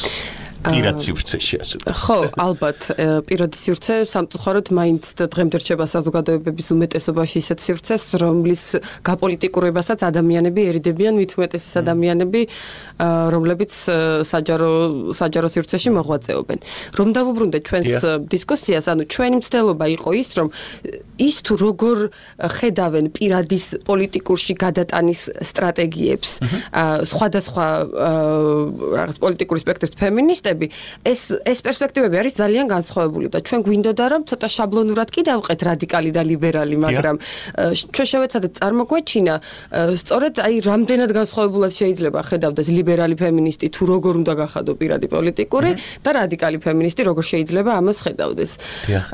S3: პირად სივრცეში ასე.
S8: ხო, ალბათ, პირადი სივრცე სამწუხაროდ მაინც დღემდე რჩება საზოგადოებების უმეტესობაში ისეთ სივრცეს, რომლის გაპოლიტიკურებასაც ადამიანები ერიდებიან, მით უმეტეს ის ადამიანები, რომლებიც საჯარო საჯარო სივრცეში მოღვაწეობენ. რომ დავუბრუნდეთ ჩვენს დისკუსიას, ანუ ჩვენი მცდელობა იყო ის, რომ ის თუ როგორ ხედავენ პირადის პოლიტიკურში გადატანის სტრატეგიებს, სხვადასხვა რაღაც პოლიტიკური სპექტრის ფემინისტები ეს ეს პერსპექტივები არის ძალიან განსხვავებული და ჩვენ გვინდოდა რომ ცოტა შაბლონურად კი დავყეთ რადიკალი და ლიბერალი, მაგრამ ჩვენ შევეცადეთ წარმოგვეჩინა სწორედ აი რამდენად განსხვავებულად შეიძლება ხედავდეს ლიბერალი ფემინისტი თუ როგორ უნდა გახადო პირადი პოლიტიკური და რადიკალი ფემინისტი როგორ შეიძლება ამას ხედავდეს.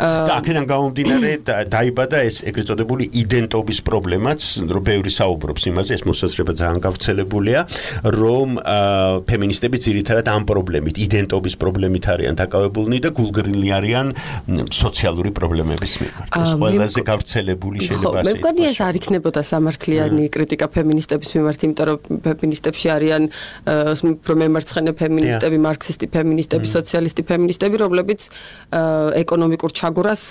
S3: და აქედან გამომდინარე დაიბადა ეს ეგრეთ წოდებული იდენტობის პრობლემაც, რომ ბევრი საუბრობს იმაზე, ეს მოსაზრება ძალიან გავრცელებულია, რომ ფემინისტები ძირითადად ამ პრობლემით იდენტობის პრობლემით არიან დაკავებულნი და გულგრილი არიან სოციალური პრობლემების მიმართ. ეს ყველაზე გავრცელებული შეიძლება
S8: ასე. მე მგონი ეს არ იქნებოდა სამართლიანი კრიტიკა ფემინისტების მიმართ, იმიტომ რომ ფემინისტებში არიან პრომემარცხენე ფემინისტები, მარქსისტი ფემინისტები, სოციალისტი ფემინისტები, რომლებიც ეკონომიკურ ჩაგვრას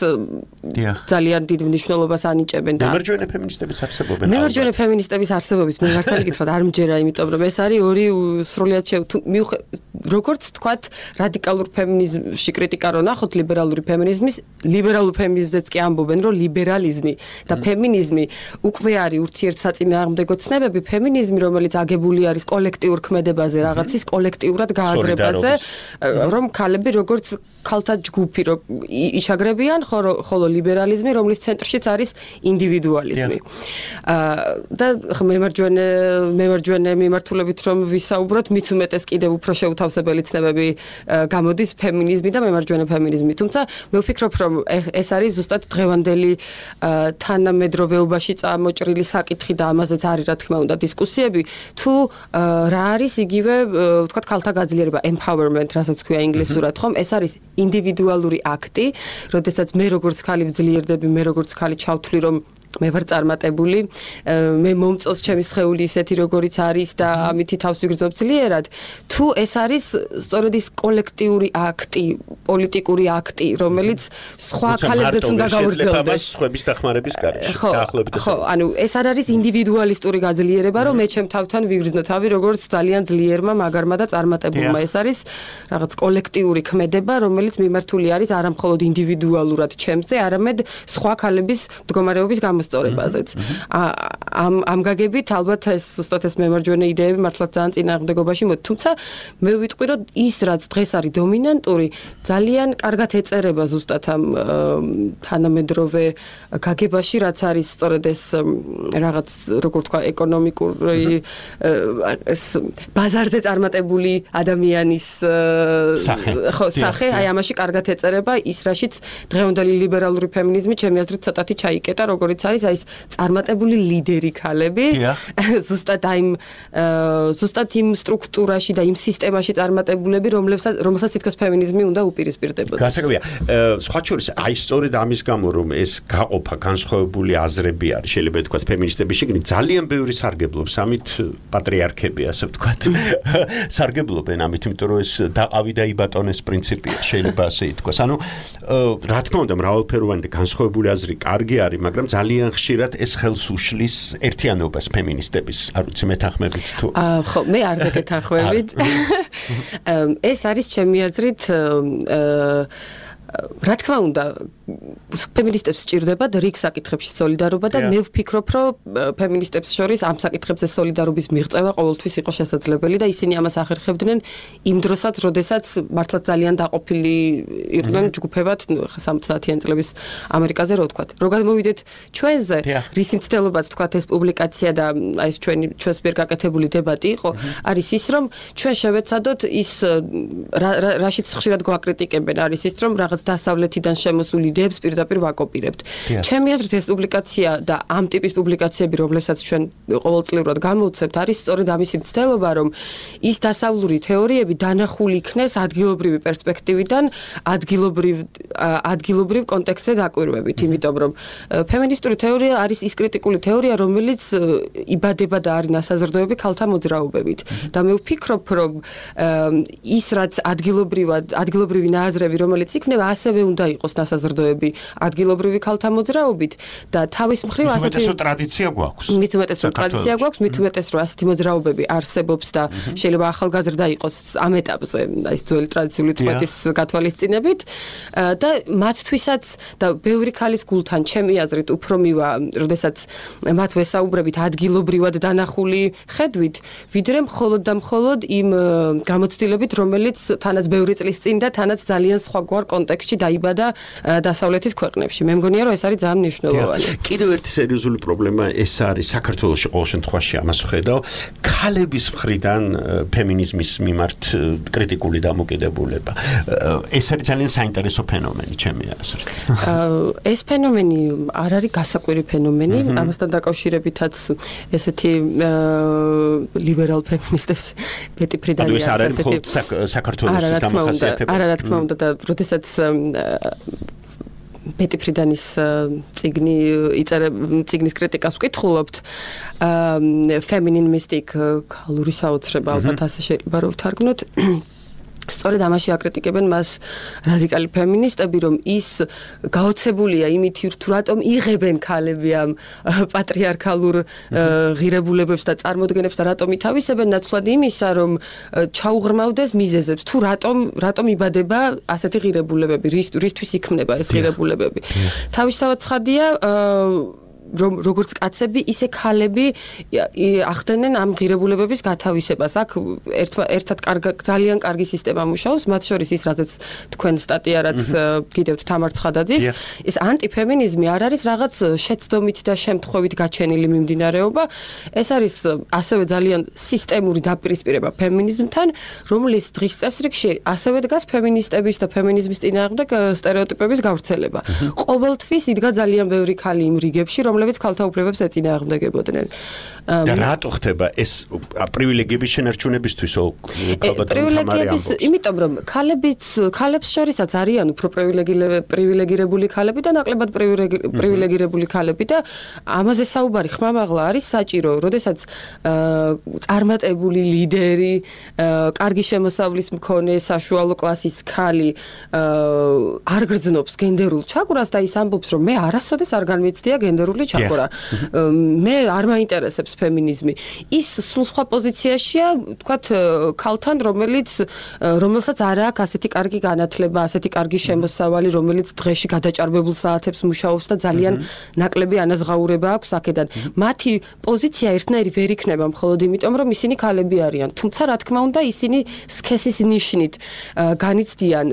S8: ძალიან დიდ მნიშვნელობას ანიჭებენ და
S3: მემარჯვენე ფემინისტების არსებობენ.
S8: მემარჯვენე ფემინისტების არსებობის მე მართალი გითხრათ არ მჯერა, იმიტომ რომ ეს არის ორი სრულიად როგორც თქვათ რადიკალურ ფემინიზმში კრიტიკა რო ნახოთ ლიბერალური ფემინიზმის, ლიბერალურ ფემინიზმზეც კი ამბობენ, რომ ლიბერალიზმი და ფემინიზმი უკვე არის ურთიერთსაწინააღმდეგო ცნებები. ფემინიზმი, რომელიც აგებული არის კოლექტიურ ქმედებაზე, რაღაცის კოლექტიურად გააზრებაზე, რომ ქალები როგორც ქალთა ჯგუფი რო იშაგრებიან, ხოლო ლიბერალიზმი, რომლის ცენტრშიც არის ინდივიდუალიზმი. და მემარჯვენე მემარჯვენე მიმართულებით რომ ვისაუბროთ, მით უმეტეს კიდევ უფრო შეუთავსებელი ცნებები გამოდის ფემინიზმი და მემარჯვენე ფემინიზმი. თუმცა მე ვფიქრობ, რომ ეს არის ზუსტად დღევანდელი თანამედროვეობაში წამოჭრილი საკითხი და ამაზეც არის რა თქმა უნდა დისკუსიები, თუ რა არის იგივე ვთქვათ ქალთა გაძლიერება, empowerment, რასაც ქვია ინგლისურად, ხომ? ეს არის ინდივიდუალური აქტი, როდესაც მე როგორც ქალი ვძლიერდები, მე როგორც ქალი ჩავთვლი, რომ მე ვარ წარმატებული, მე მომწონს ჩემი სხეული ისეთი როგორიც არის და ამითი თავს ვიგრძნობ ძლიერად, თუ ეს არის სწორედ ის კოლექტიური აქტი, პოლიტიკური აქტი, რომელიც სხვა ქალებზეც უნდა გავრცელდეს
S3: სხვების დახმარების გარეშე,
S8: დაახლოებით ეს. ხო, ანუ ეს არ არის ინდივიდუალისტური გაძლიერება, რომ მე ჩემ თავთან ვიგრძნო თავი როგორც ძალიან ძლიერმა, მაგარმა და წარმატებულმა. ეს არის რაღაც კოლექტიური ქმედება, რომელიც მიმართული არის არა მხოლოდ ინდივიდუალურად ჩემზე, არამედ სხვა ქალების მდგომარეობის მოსწორებაზეც. ამ ამ გაგებით ალბათ ეს ზუსტად ეს მემარჯვენე იდეები მართლაც ძალიან წინააღმდეგობაში მოდი. თუმცა მე ვიტყვი, რომ ის რაც დღეს არის დომინანტური, ძალიან კარგად ეწერება ზუსტად ამ თანამედროვე გაგებაში, რაც არის სწორედ ეს რაღაც როგორ თქვა ეკონომიკური ეს ბაზარზე წარმატებული ადამიანის ხო სახე, აი ამაში კარგად ეწერება ის, რაშიც დღევანდელი ლიბერალური ფემინიზმი ჩემი აზრით ცოტათი ჩაიკეტა, როგორც არის აი ეს წარმატებული ლიდერი ძლიერი ქალები ზუსტად აიმ ზუსტად იმ სტრუქტურაში და იმ სისტემაში წარმატებულები, რომლებსაც რომელსაც თითქოს ფემინიზმი უნდა უპირისპირდებოდეს.
S3: გასაგებია. სხვა შორის აი სწორედ ამის გამო რომ ეს გაყოფა განსხვავებული აზრები არის, შეიძლება ვთქვათ ფემინისტების შიგნით ძალიან ბევრი სარგებლობს ამით პატრიარქები, ასე ვთქვათ. სარგებლობენ ამით, იმიტომ რომ ეს დაყავი და იბატონეს პრინციპია, შეიძლება ასე ითქვას. ანუ რა თქმა უნდა მრავალფეროვანი და განსხვავებული აზრი კარგი არის, მაგრამ ძალიან ხშირად ეს ხელს უშლის ერთიანობას ფემინისტების, არ ვიცი მეთანხმებით თუ.
S8: აა ხო, მე არ დაგეთანხმებით. ეს არის ჩემი აზრით რა თქმა უნდა ფემინისტებს სჭირდებათ რიგ საკითხებში სოლიდარობა და მე ვფიქრობ რომ ფემინისტებს შორის ამ საკითხებზე სოლიდარობის მიღწევა ყოველთვის იყო შესაძლებელი და ისინი ამას ახერხებდნენ იმ დროსაც, როდესაც მართლაც ძალიან დაყოფილი იყვნენ ჯგუფებად სამოცდაათიანი წლების ამერიკაზე რო ვთქვათ. რო გადმოვიდეთ ჩვენზე, რის მცდელობაც ვთქვათ ეს პუბლიკაცია და აი ეს ჩვენი ჩვენს მიერ გაკეთებული დებატი იყო, არის ის რომ ჩვენ შევეცადოთ ის რაშიც ხშირად გვაკრიტიკებენ, არის ის რომ რაღაც დასავლეთიდან შემოსული იდეებს პირდაპირ ვაკოპირებთ. ჩემი აზრით ეს პუბლიკაცია და ამ ტიპის პუბლიკაციები, რომლებსაც ჩვენ ყოველწლიურად გამოვცემთ, არის სწორედ ამისი მცდელობა, რომ ის დასავლური თეორიები დანახული იქნეს ადგილობრივი პერსპექტივიდან, ადგილობრივ ადგილობრივ კონტექსტზე დაკვირვებით, იმიტომ რომ ფემინისტური თეორია არის ის კრიტიკული თეორია, რომელიც იბადება და არის ნასაზრდოები ქალთა მოძრაობებით. და მე ვფიქრობ, რომ ის რაც ადგილობრივად ადგილობრივი ნააზრევი, რომელიც იქნება, ასევე უნდა იყოს ნასაზრდოები ადგილობრივი ქალთა მოძრაობით და თავის მხრივ
S3: ასეთი ტრადიცია გვაქვს.
S8: მით უმეტეს რომ ტრადიცია გვაქვს, მით უმეტეს რომ ასეთი მოძრაობები არსებობს და შეიძლება ახალგაზრდა იყოს ამ ეტაპზე, ის ძველი ტრადიციული წვეთის გათვალისწინებით და მათთვისაც და ბევრი ქალის გულთან ჩემი აზრით უფრო მივა, როდესაც მათ ვესაუბრებით ადგილობრივად დანახული ხედვით, ვიდრე მხოლოდ და მხოლოდ იმ გამოცდილებით, რომელიც თანაც ბევრი წლის წინ და თანაც ძალიან სხვაგვარ კონტექსტში დაიბადა დასავლეთის ქვეყნებში. მე მგონია რომ ეს არის ძალიან მნიშვნელოვანი.
S3: კიდევ ერთი სერიოზული პრობლემა ეს არის საქართველოში ყოველ შემთხვევაში ამას ვხედავ, ქალების მხრიდან ფემინიზმის მიმართ კრიტიკული დამოკიდებულება. ეს არის ძალიან საინტერესო ფენომენი ჩემი აზრით.
S8: ეს ფენომენი არ არის გასაკვირი ფენომენი, ამასთან დაკავშირებითაც ესეთი ლიბერალ ფემინისტებს ბეტი ფრიდანი
S3: არის ესეთი საქართველოს დამახასიათებელი.
S8: არა, რა თქმა უნდა და როდესაც ბეტი ფრიდანის წიგნი იწერა წიგნის კრიტიკას ვკითხულობთ feminine mystic ქალური საოცრება ალბათ ასე შეიძლება რომ ვთარგმნოთ სწორედ ამაში აკრიტიკებენ მას რადიკალი ფემინისტები, რომ ის გაოცებულია იმით, თუ რატომ იღებენ ქალები ამ პატრიარქალურ ღირებულებებს და წარმოდგენებს და რატომ ითავისებენ ნაცვლად იმისა, რომ ჩაუღრმავდეს მიზეზებს, თუ რატომ რატომ იბადება ასეთი ღირებულებები, რისთვის იქმნება ეს ღირებულებები. თავისთავად ცხადია რომ როგორც კაცები, ისე ქალები ახდენენ ამ ღირებულებების გათავისებას. აქ ერთად ძალიან კარგი სისტემა მუშაობს, მათ შორის ის, რაზეც თქვენ სტატია, რაც გიდევთ თამარ ცხადაძის, ეს ანტიფემინიზმი არ არის რაღაც შეცდომით და შემთხვევით გაჩენილი მიმდინარეობა, ეს არის ასევე ძალიან სისტემური დაპირისპირება ფემინიზმთან, რომლის დღის წესრიგში ასევე დგას ფემინისტების და ფემინიზმის წინააღმდეგ სტერეოტიპების გავრცელება. ყოველთვის იდგა ძალიან ბევრი ქალი იმ რიგებში, რომლებიც ქალთა უფლებებს ეწინააღმდეგებოდნენ.
S3: და რატო ხდება ეს პრივილეგიების შენარჩუნებისთვის
S8: პრივილეგიების, იმიტომ რომ ქალებიც ქალებს შორისაც არიან უფრო პრივილეგირებული ქალები და ნაკლებად პრივილეგირებული ქალები და ამაზე საუბარი ხმამაღლა არის საჭირო, როდესაც წარმატებული ლიდერი, კარგი შემოსავლის მქონე საშუალო კლასის ქალი არ გრძნობს გენდერულ ჩაკვრას და ის ამბობს, რომ მე არასოდეს არ განმეცდია გენდერული ჩაკვრა. მე არ მაინტერესებს ფემინიზმი. ის სულ სხვა პოზიციაშია, თქვათ, ქალთან, რომელიც რომელსაც არ აქვს ასეთი კარგი განათლება, ასეთი კარგი შემოსავალი, რომელიც დღეში გადაჭარბებულ საათებს მუშაობს და ძალიან ნაკლები ანაზღაურება აქვს აქედან. მათი პოზიცია ერთნაირი ვერ იქნება მხოლოდ იმიტომ, რომ ისინი ქალები არიან. თუმცა, რა თქმა უნდა, ისინი სქესის ნიშნით განიცდიან,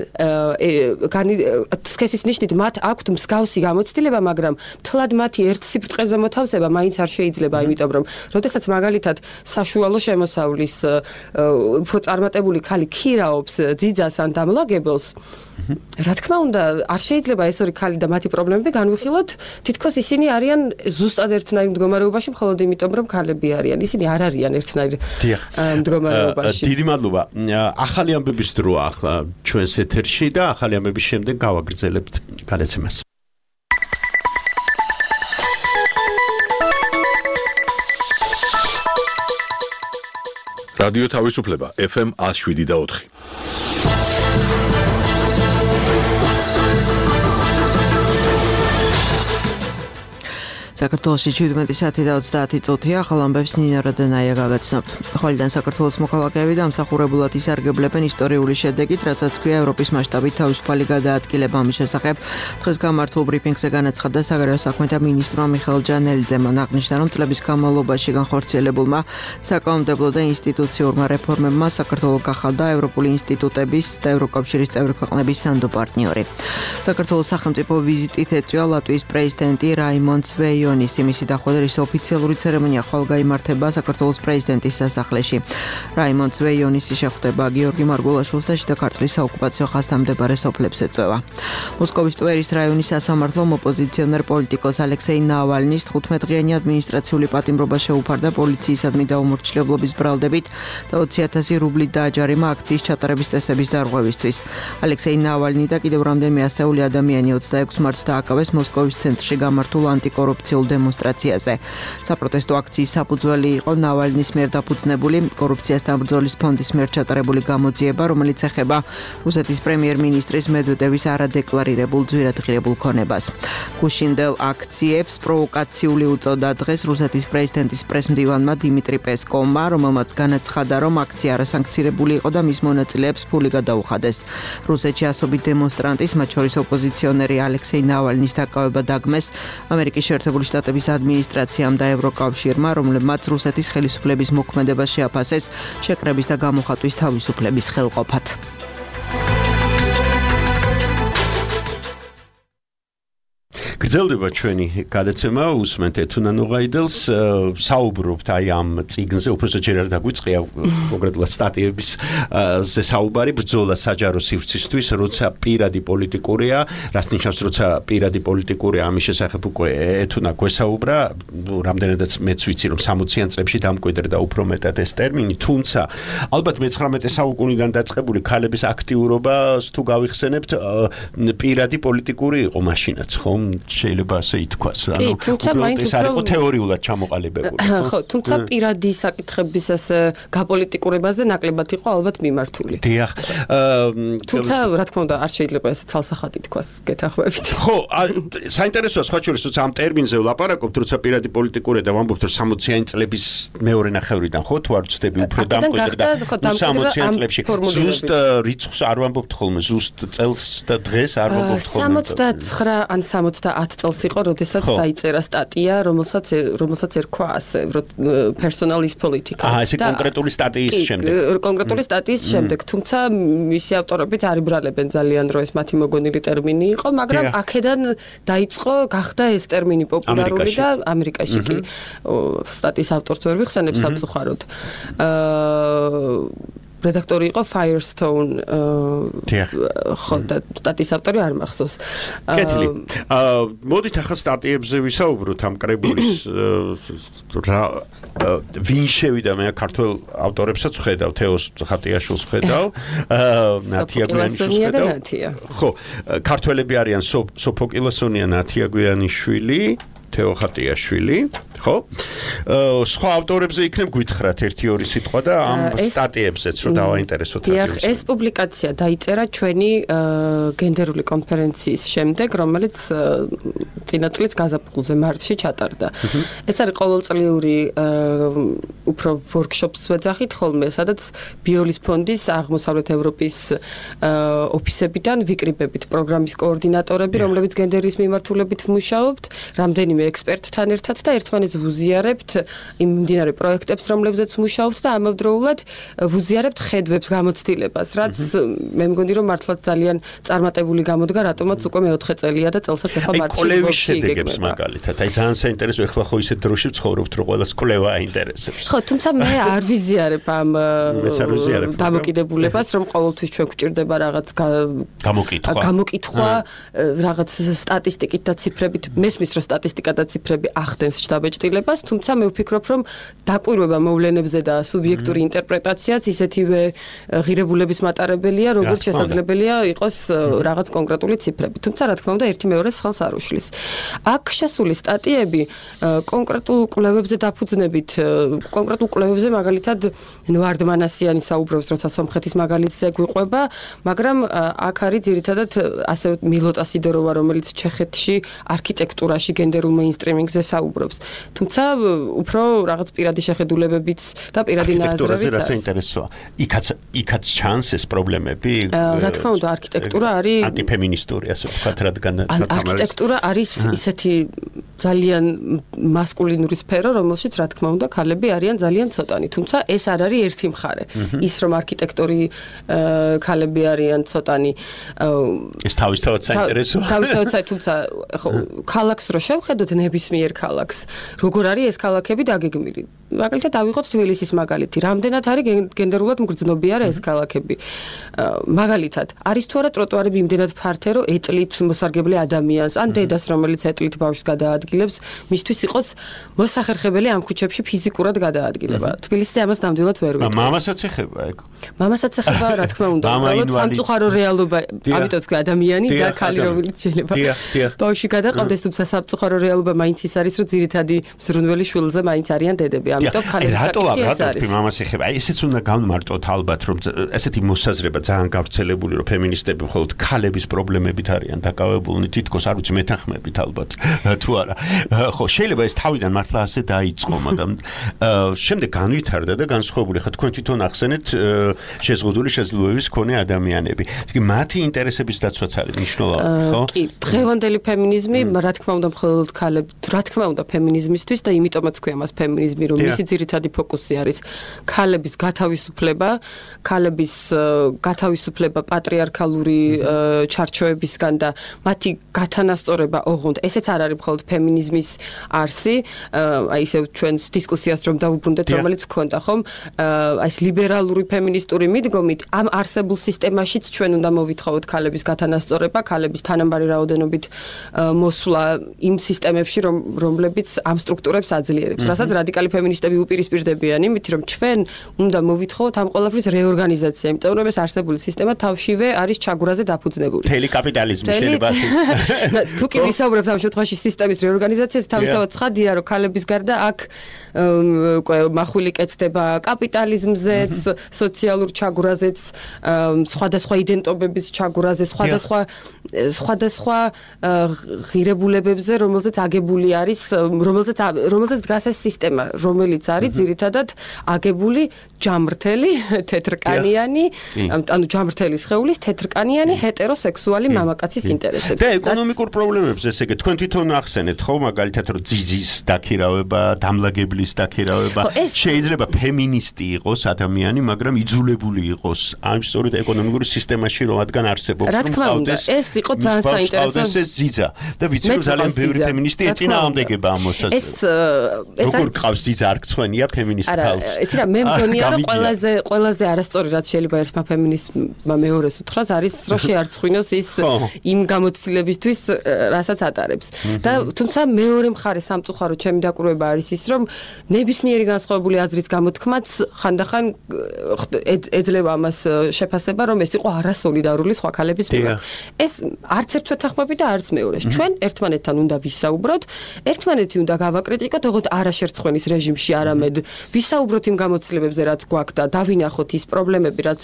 S8: სქესის ნიშნით მათ აქვთ მსგავსი გამოცდილება, მაგრამ თლად მათი ერთ სიბრტყეზე მოთავსება მაინც არ შეიძლება, იმიტომ რომ როდესაც მაგალითად საშუალო შემოსავლის უფრო წარმატებული ქალი ქირაობს ძიძას ან დამლაგებელს, რა თქმა უნდა, არ შეიძლება ეს ორი ქალი და მათი პრობლემები განვიხილოთ, თითქოს ისინი არიან ზუსტად ერთნაირ მდგომარეობაში, მხოლოდ იმიტომ, რომ ქალები არიან. ისინი არ არიან ერთნაირ მდგომარეობაში.
S3: დიდი მადლობა. ახალი ამბების დროა ახლა ჩვენს ეთერში და ახალი ამბების შემდეგ გავაგრძელებთ გადაცემას.
S1: რადიო თავისუფლება ეფ ემ one oh seven და four.
S9: საქართველოში შვიდმეტი საათი და ოცდაათი წუთია, ახალ ამბებს ნინა როდენაია გაგაცნობთ. ხვალიდან საქართველოს მოქალაქეები დამსახურებულად ისარგებლებენ ისტორიული შედეგით, რასაც ქვია ევროპის მასშტაბით თავისუფალი გადაადგილება. ამის შესახებ დღეს გამართულ ბრიფინგზე განაცხადა საგარეო საქმეთა მინისტრმა მიხეილ ჯანელიძემ. აღნიშნა, რომ წლების განმავლობაში განხორციელებულმა საკანონმდებლო და ინსტიტუციურმა რეფორმებმა საქართველო გახადა ევროპული ინსტიტუტების და ევროკავშირის წევრი ქვეყნების სანდო პარტნიორი. საქართველოს სახელმწიფო ვიზიტით ეწვია ლატვიის პრეზიდენტი რაიმონდ შვეიო იმისი დახვედრის ოფიციალური ცერემონია ხვალ გაიმართება საქართველოს პრეზიდენტის სასახლეში. რაიმონდ შვეიონის შეხვდება გიორგი მარგულაშვილს და შიდა ქართლის საოკუპაციო ხაზთამდებარე სოფლებს ეწვევა. მოსკოვის ტვერის რაიონის სასამართლომ ოპოზიციონერ პოლიტიკოს ალექსეი ნავალნის თხუთმეტ დღიანი ადმინისტრაციული პატიმრობა შეუფარდა პოლიციისადმი დაუმორჩილებლობის ბრალდებით და ოცი ათასი რუბლით დააჯარიმა აქციის ჩატარების წესების დარღვევისთვის. ალექსეი ნავალნი და კიდევ რამდენიმე ასეული ადამიანი ოცდაექვსი მარტს დააკავეს მოსკოვის ცენტრში გამართულ ანტიკორუფციულ დემონსტრაციაზე. საპროტესტო აქციის საფუძველი იყო ნავალნის მიერ დაფუძნებული კორუფციასთან ბრძოლის ფონდის მიერ ჩატარებული გამოძიება, რომელიც ეხება რუსეთის პრემიერ-მინისტრის მედვედევის არადეკლარირებულ ძვირადღირებულ ქონებას. გუშინდელ აქციებს პროვოკაციული უწოდა დღეს რუსეთის პრეზიდენტის პრესმდივანმა დიმიტრი პესკოვმა, რომელმაც განაცხადა, რომ აქცია არასანქცირებული იყო და მის მონაწილეებს ფული გადაუხადეს. რუსეთში ასობით დემონსტრანტის, მათ შორის ოპოზიციონერი ალექსეი ნავალნის დაკავება დაგმეს ამერიკის შეერთებული შტატების ადმინისტრაციამ და ევროკავშირმა, რომლებმაც რუსეთის ხელისუფლების მოქმედება შეაფასეს შეკრების და გამოხატვის თავისუფლების ხელყოფად.
S3: გრძელდება ჩვენი გადაცემა, უსმენთ ეთუნა ნოღაიდელს, საუბრობთ აი ამ წიგნზე, უბრალოდ ჯერ არ დაგვიწყია კონკრეტულად სტატიების ზე საუბარი, ბრძოლა საჯარო სივრცისთვის, როცა პირადი პოლიტიკურია, რას ნიშნავს, როცა პირადი პოლიტიკურია, ამის შესახებ უკვე ეთუნა გვესაუბრა, რამდენადაც მეც ვიცი, რომ სამოციან წლებში დამკვიდრდა უფრო მეტად ეს ტერმინი, თუმცა ალბათ მეცხრამეტე საუკუნიდან დაწყებული ქალების აქტიურობას თუ გავიხსენებთ, პირადი პოლიტიკური იყო მაშინაც, ხომ? შეიძლება ასე ითქვას, ანუ უბრალოდ ეს არ იყო თეორიულად ჩამოყალიბებული.
S8: ხო, თუმცა პირადი საკითხების ასე გაპოლიტიკურებაზე ნაკლებად იყო ალბათ მიმართული.
S3: დიახ.
S8: თუმცა რა თქმა უნდა არ შეიძლება ესე ცალსახად ითქვას გეთანხმებით.
S3: ხო, საინტერესოა სხვა შორის, როცა ამ ტერმინზე ვლაპარაკობთ, როცა პირადი პოლიტიკურია და ვამბობთ, რომ სამოციან წლების მეორე ნახევრიდან ხო თუ არ ვცდები უფრო დამკვიდრდა სამოციან წლებში. ზუსტ რიცხვს არ ვამბობთ ხოლმე, ზუსტ წელს და დღეს არ ვამბობთ ხოლმე.
S8: სამოცდათხრა ან სამოცდაათ წელს იყო, როდესაც დაიწერა სტატია, რომელსაც რომელსაც ერქვა ასე, personal is political.
S3: აა, ეს კონკრეტული სტატიის შემდეგ.
S8: კონკრეტული სტატიის შემდეგ, თუმცა მისი ავტორები არიბრალებენ ძალიან, რომ ეს მათი მოგონილი ტერმინი იყო, მაგრამ აქედან დაიწყო, გახდა ეს ტერმინი პოპულარული და ამერიკაში კი სტატიის ავტორს ვერ ვიხსენებ სამწუხაროდ. აა რედაქტორი იყო Firestone ხო და სტატიის ავტორი არ მახსოვს.
S3: კეთილი. მოდით ახლა სტატიებზე ვისაუბროთ ამ კრებულის რა ვინ შევიდა მე ქართულ ავტორებსაც ვხედავ, თეოს ხატიაშვილს ვხედავ, ნათია გვიანიშვილს ვხედავ. ხო, ქართველები არიან სოფოკილოსონია, ნათია გვიანიშვილი, თეო ხატიაშვილი, ხო? სხვა ავტორებზე იქნებ გითხრათ ერთი ორი სიტყვა და ამ სტატიებზეც რომ დავაინტერესოთ
S8: რადიოს. ეს პუბლიკაცია დაიწერა ჩვენი გენდერული კონფერენციის შემდეგ, რომელიც წინა წლის გაზაფხულზე მარტში ჩატარდა. ეს არის ყოველწლიური უფრო ვორქშოპს ვეძახით ხოლმე, სადაც ბიოლის ფონდის აღმოსავლეთ ევროპის ოფისებიდან ვიკრიბებით პროგრამის კოორდინატორები, რომლებიც გენდერის მიმართულებით ვმუშაობთ, რამდენიმე ექსპერტთან ერთად და ერთმანეთს ვუზიარებთ იმ მიმდინარე პროექტებს, რომლებზეც მუშაობთ და ამავდროულად ვუზიარებთ ხედვებს, გამოცდილებას, რაც მე მგონი რომ მართლაც ძალიან წარმატებული გამოდგა, რატომაც უკვე მეოთხე წელია და წელსაც ახლა მარტში
S3: კვლევის შედეგებს მაგალითად. აი ძალიან საინტერესო ეხლა ხო ისეთ დროში ვცხოვრობთ, რომ ყველას კვლევა აინტერესებს.
S8: ხო, თუმცა მე არ ვიზიარებ ამ დამოკიდებულებას, რომ ყოველთვის ჩვენ გვჭირდება რაღაც
S3: გამოკითხვა.
S8: გამოკითხვა, რაღაც სტატისტიკით და ციფრებით. მესმის რომ სტატისტიკა და ციფრები ახდენს შთაბეჭდილებას, თუმცა მე ვფიქრობ, რომ დაკვირვება მოვლენებზე და სუბიექტური ინტერპრეტაციაც ისეთივე ღირებულების მატარებელია, როგორც შესაძლებელია იყოს რაღაც კონკრეტული ციფრები. თუმცა რა თქმა უნდა, ერთი მეორეს ხელს არ უშლის. აქ შესული სტატიები კონკრეტულ კვლევებზე დაფუძნებით, კონკრეტულ კვლევებზე მაგალითად ნვარდმანასიანი საუბრობს, როცა სომხეთის მაგალითზე გვიყვება, მაგრამ აქ არის ძირითადად ასე მილოტა სიდოროვა, რომელიც ჩეხეთში არქიტექტურაში გენდერულ მეინსტრიმინგზე საუბრობს. თუმცა უფრო რაღაც პირადი შეხედულებებიც და პირადი ნაზრებიც
S3: არის. საინტერესოა. იქაც იქაც ჩანს ეს პრობლემები.
S8: რა თქმა უნდა, არქიტექტურა არის
S3: ანტიფემინისტური, ასე ვთქვათ, რადგან
S8: არქიტექტურა არის ისეთი ძალიან მასკულინური სფერო, რომელშიც რა თქმა უნდა, ქალები არიან ძალიან ცოტანი. თუმცა ეს არ არის ერთი მხარე. ის რომ არქიტექტორი ქალები არიან ცოტანი.
S3: ეს თავისთავად საინტერესოა.
S8: თავისთავად საინტერესოა, თუმცა ქალაქს რო შევხედოთ, ნებისმიერ ქალაქს, როგორ არის ეს ქალაქები დაგეგმილი? მაგალითად დავიღოთ თბილისის მაგალითი. რამდენად არის გენდერულად მგრძნობი არა ეს ქალაქები? მაგალითად, არის თუ არა ტროტუარები იმდენად ფართე, რომ ეტლით მოსარგებლე ადამიანს, ან დედას, რომელიც ეტლით ბავშვს გადაადგილებს, მისთვის იყოს მოსახერხებელი ამ ქუჩებში ფიზიკურად გადაადგილება. თბილისზე ამას ნამდვილად ვერ ვიტყვი.
S3: მამასაც ეხება ეგ.
S8: მამასაც ეხება, რა თქმა უნდა, უბრალოდ სამწუხარო რეალობა, ამიტომ თქვი ადამიანი და ქალი, რომელიც შეიძლება ბავშვი გადაყავდეს, თუმცა სამწუხარო რეალობა მაინც ის არის, რომ ძირითადი მზრუნველი შვილზე მაინც არიან დედები. ამიტომ ქალების საკითხი ეს არის.
S3: მამას ეხება. აი ესეც უნდა გავმარტოთ ალბათ, რომ ესეთი მოსაზრება ძალიან გავრცელებული, რომ ფემინისტები მხოლოდ ქალების პრობლემებით არიან დაკავებულნი, თითქოს არ ვიცი მეთანხმებით ალბათ თუ არა. ხო, შეიძლება ეს თავიდან მართლა ასე დაიწყო, მაგრამ შემდეგ განვითარდა და განსხვავებული. ხა თქვენ თვითონ ახსენეთ შეზღუდული შესაძლებლობების მქონე ადამიანები. ისე მათი ინტერესების დაცვაც არის მნიშვნელოვანი, ხო?
S8: კი, დღევანდელი ფემინიზმი, რა თქმა უნდა, მხოლოდ ქალებს, რა თქმა უნდა, ფემინიზმისთვის და იმიტომაც ქვია მას ფემინიზმი, რომ მისი ძირითადი ფოკუსი არის ქალების გათავისუფლება, ქალების გათავისუფლება პატრიარქალური ჩარჩოებისგან და მათი გათანასწორება ოღონდ. ესეც არ არის მხოლოდ ფემინიზმის არსი, აი ისე ჩვენს დისკუსიას რომ დავუბრუნდეთ, რომელიც გქონდა, ხომ? აი ეს ლიბერალური ფემინისტური მიდგომით ამ არსებულ სისტემაშიც ჩვენ უნდა მოვითხოვოთ ქალების გათანასწორება, ქალების თანაბარი რაოდენობით მოსვლა იმ სისტემებში, რომლებიც ამ სტრუქტურებს აძლიერებს. რასაც რადიკალი ფემინისტები უპირისპირდებიან იმით, რომ ჩვენ უნდა მოვითხოვოთ ამ ყველაფრის რეორგანიზაცია, იმიტომ რომ ეს არსებული სისტემა თავშივე არის ჩაგვრაზე დაფუძნებული.
S3: მთელი კაპიტალიზმი შეიძლება ასე.
S8: თუ კი ვისაუბრებთ ამ შემთხვევაში სისტემის რეორგანიზაციაზე, თავისთავად ცხადია, რომ ქალების გარდა აქ უკვე მახვილი კეთდება კაპიტალიზმზეც, სოციალურ ჩაგვრაზეც, სხვადასხვა იდენტობების ჩაგვრაზე, სხვადასხვა სხვადასხვა ღირებულებებზე, რომელზეც აგებული არის, რომელზეც რომელზეც დგას ეს სისტემა, რომელიც არის ძირითადად აგებული ჯამრთელი, თეთრკანიანი, ანუ ჯამრთელი სხეულის თეთრკანიანი ჰეტეროსექსუალი მამაკაცის ინტერესებს.
S3: და ეკონომიკურ პრობლემებს, ესე იგი, თქვენ თვითონ ახსენეთ, ხო, მაგალითად, რომ ძიზის დაქირავება, დამლაგებლის დაქირავება, შეიძლება ფემინისტი იყოს ადამიანი, მაგრამ იძულებული იყოს ამ სწორედ ეკონომიკურ სისტემაში, რომ რადგან არსებობს,
S8: რომ ყავდეს. ეს იყო ძალიან საინტერესო.
S3: ეს ზიზა და ვიცი რომ ძალიან ბევრი ფემინისტი ეწინააღმდეგება ამ მოსაზრებას. ეს როგორ ყავს ზიზა არ გცხვენია ფემინისტ ქალს.
S8: იცი რა, მე მგონია რომ ყველაზე ყველაზე არასწორი რაც შეიძლება ერთმა ფემინისტმა მეორეს უთხრას არის რომ შეარცხვინოს ის იმ გამოცდილებისთვის რასაც ატარებს. და თუმცა მეორე მხარე სამწუხარო ჩემი დაკვირვება არის ის რომ ნებისმიერი განსხვავებული აზრის გამოთქმაც ხანდახან ეძლევა ამას შეფასება რომ ეს იყო არასოლიდარული სხვა ქალების მიმართ. ეს არც ერთ ვეთანხმები და არც მეორეს. ჩვენ ერთმანეთთან უნდა ვისაუბროთ, ერთმანეთი უნდა გავაკრიტიკოთ, ოღონდ არა შერცხვენის რეჟიმში, არამედ ვისაუბროთ იმ გამოცდილებებზე, რაც გვაქვს და დავინახოთ ის პრობლემები, რაც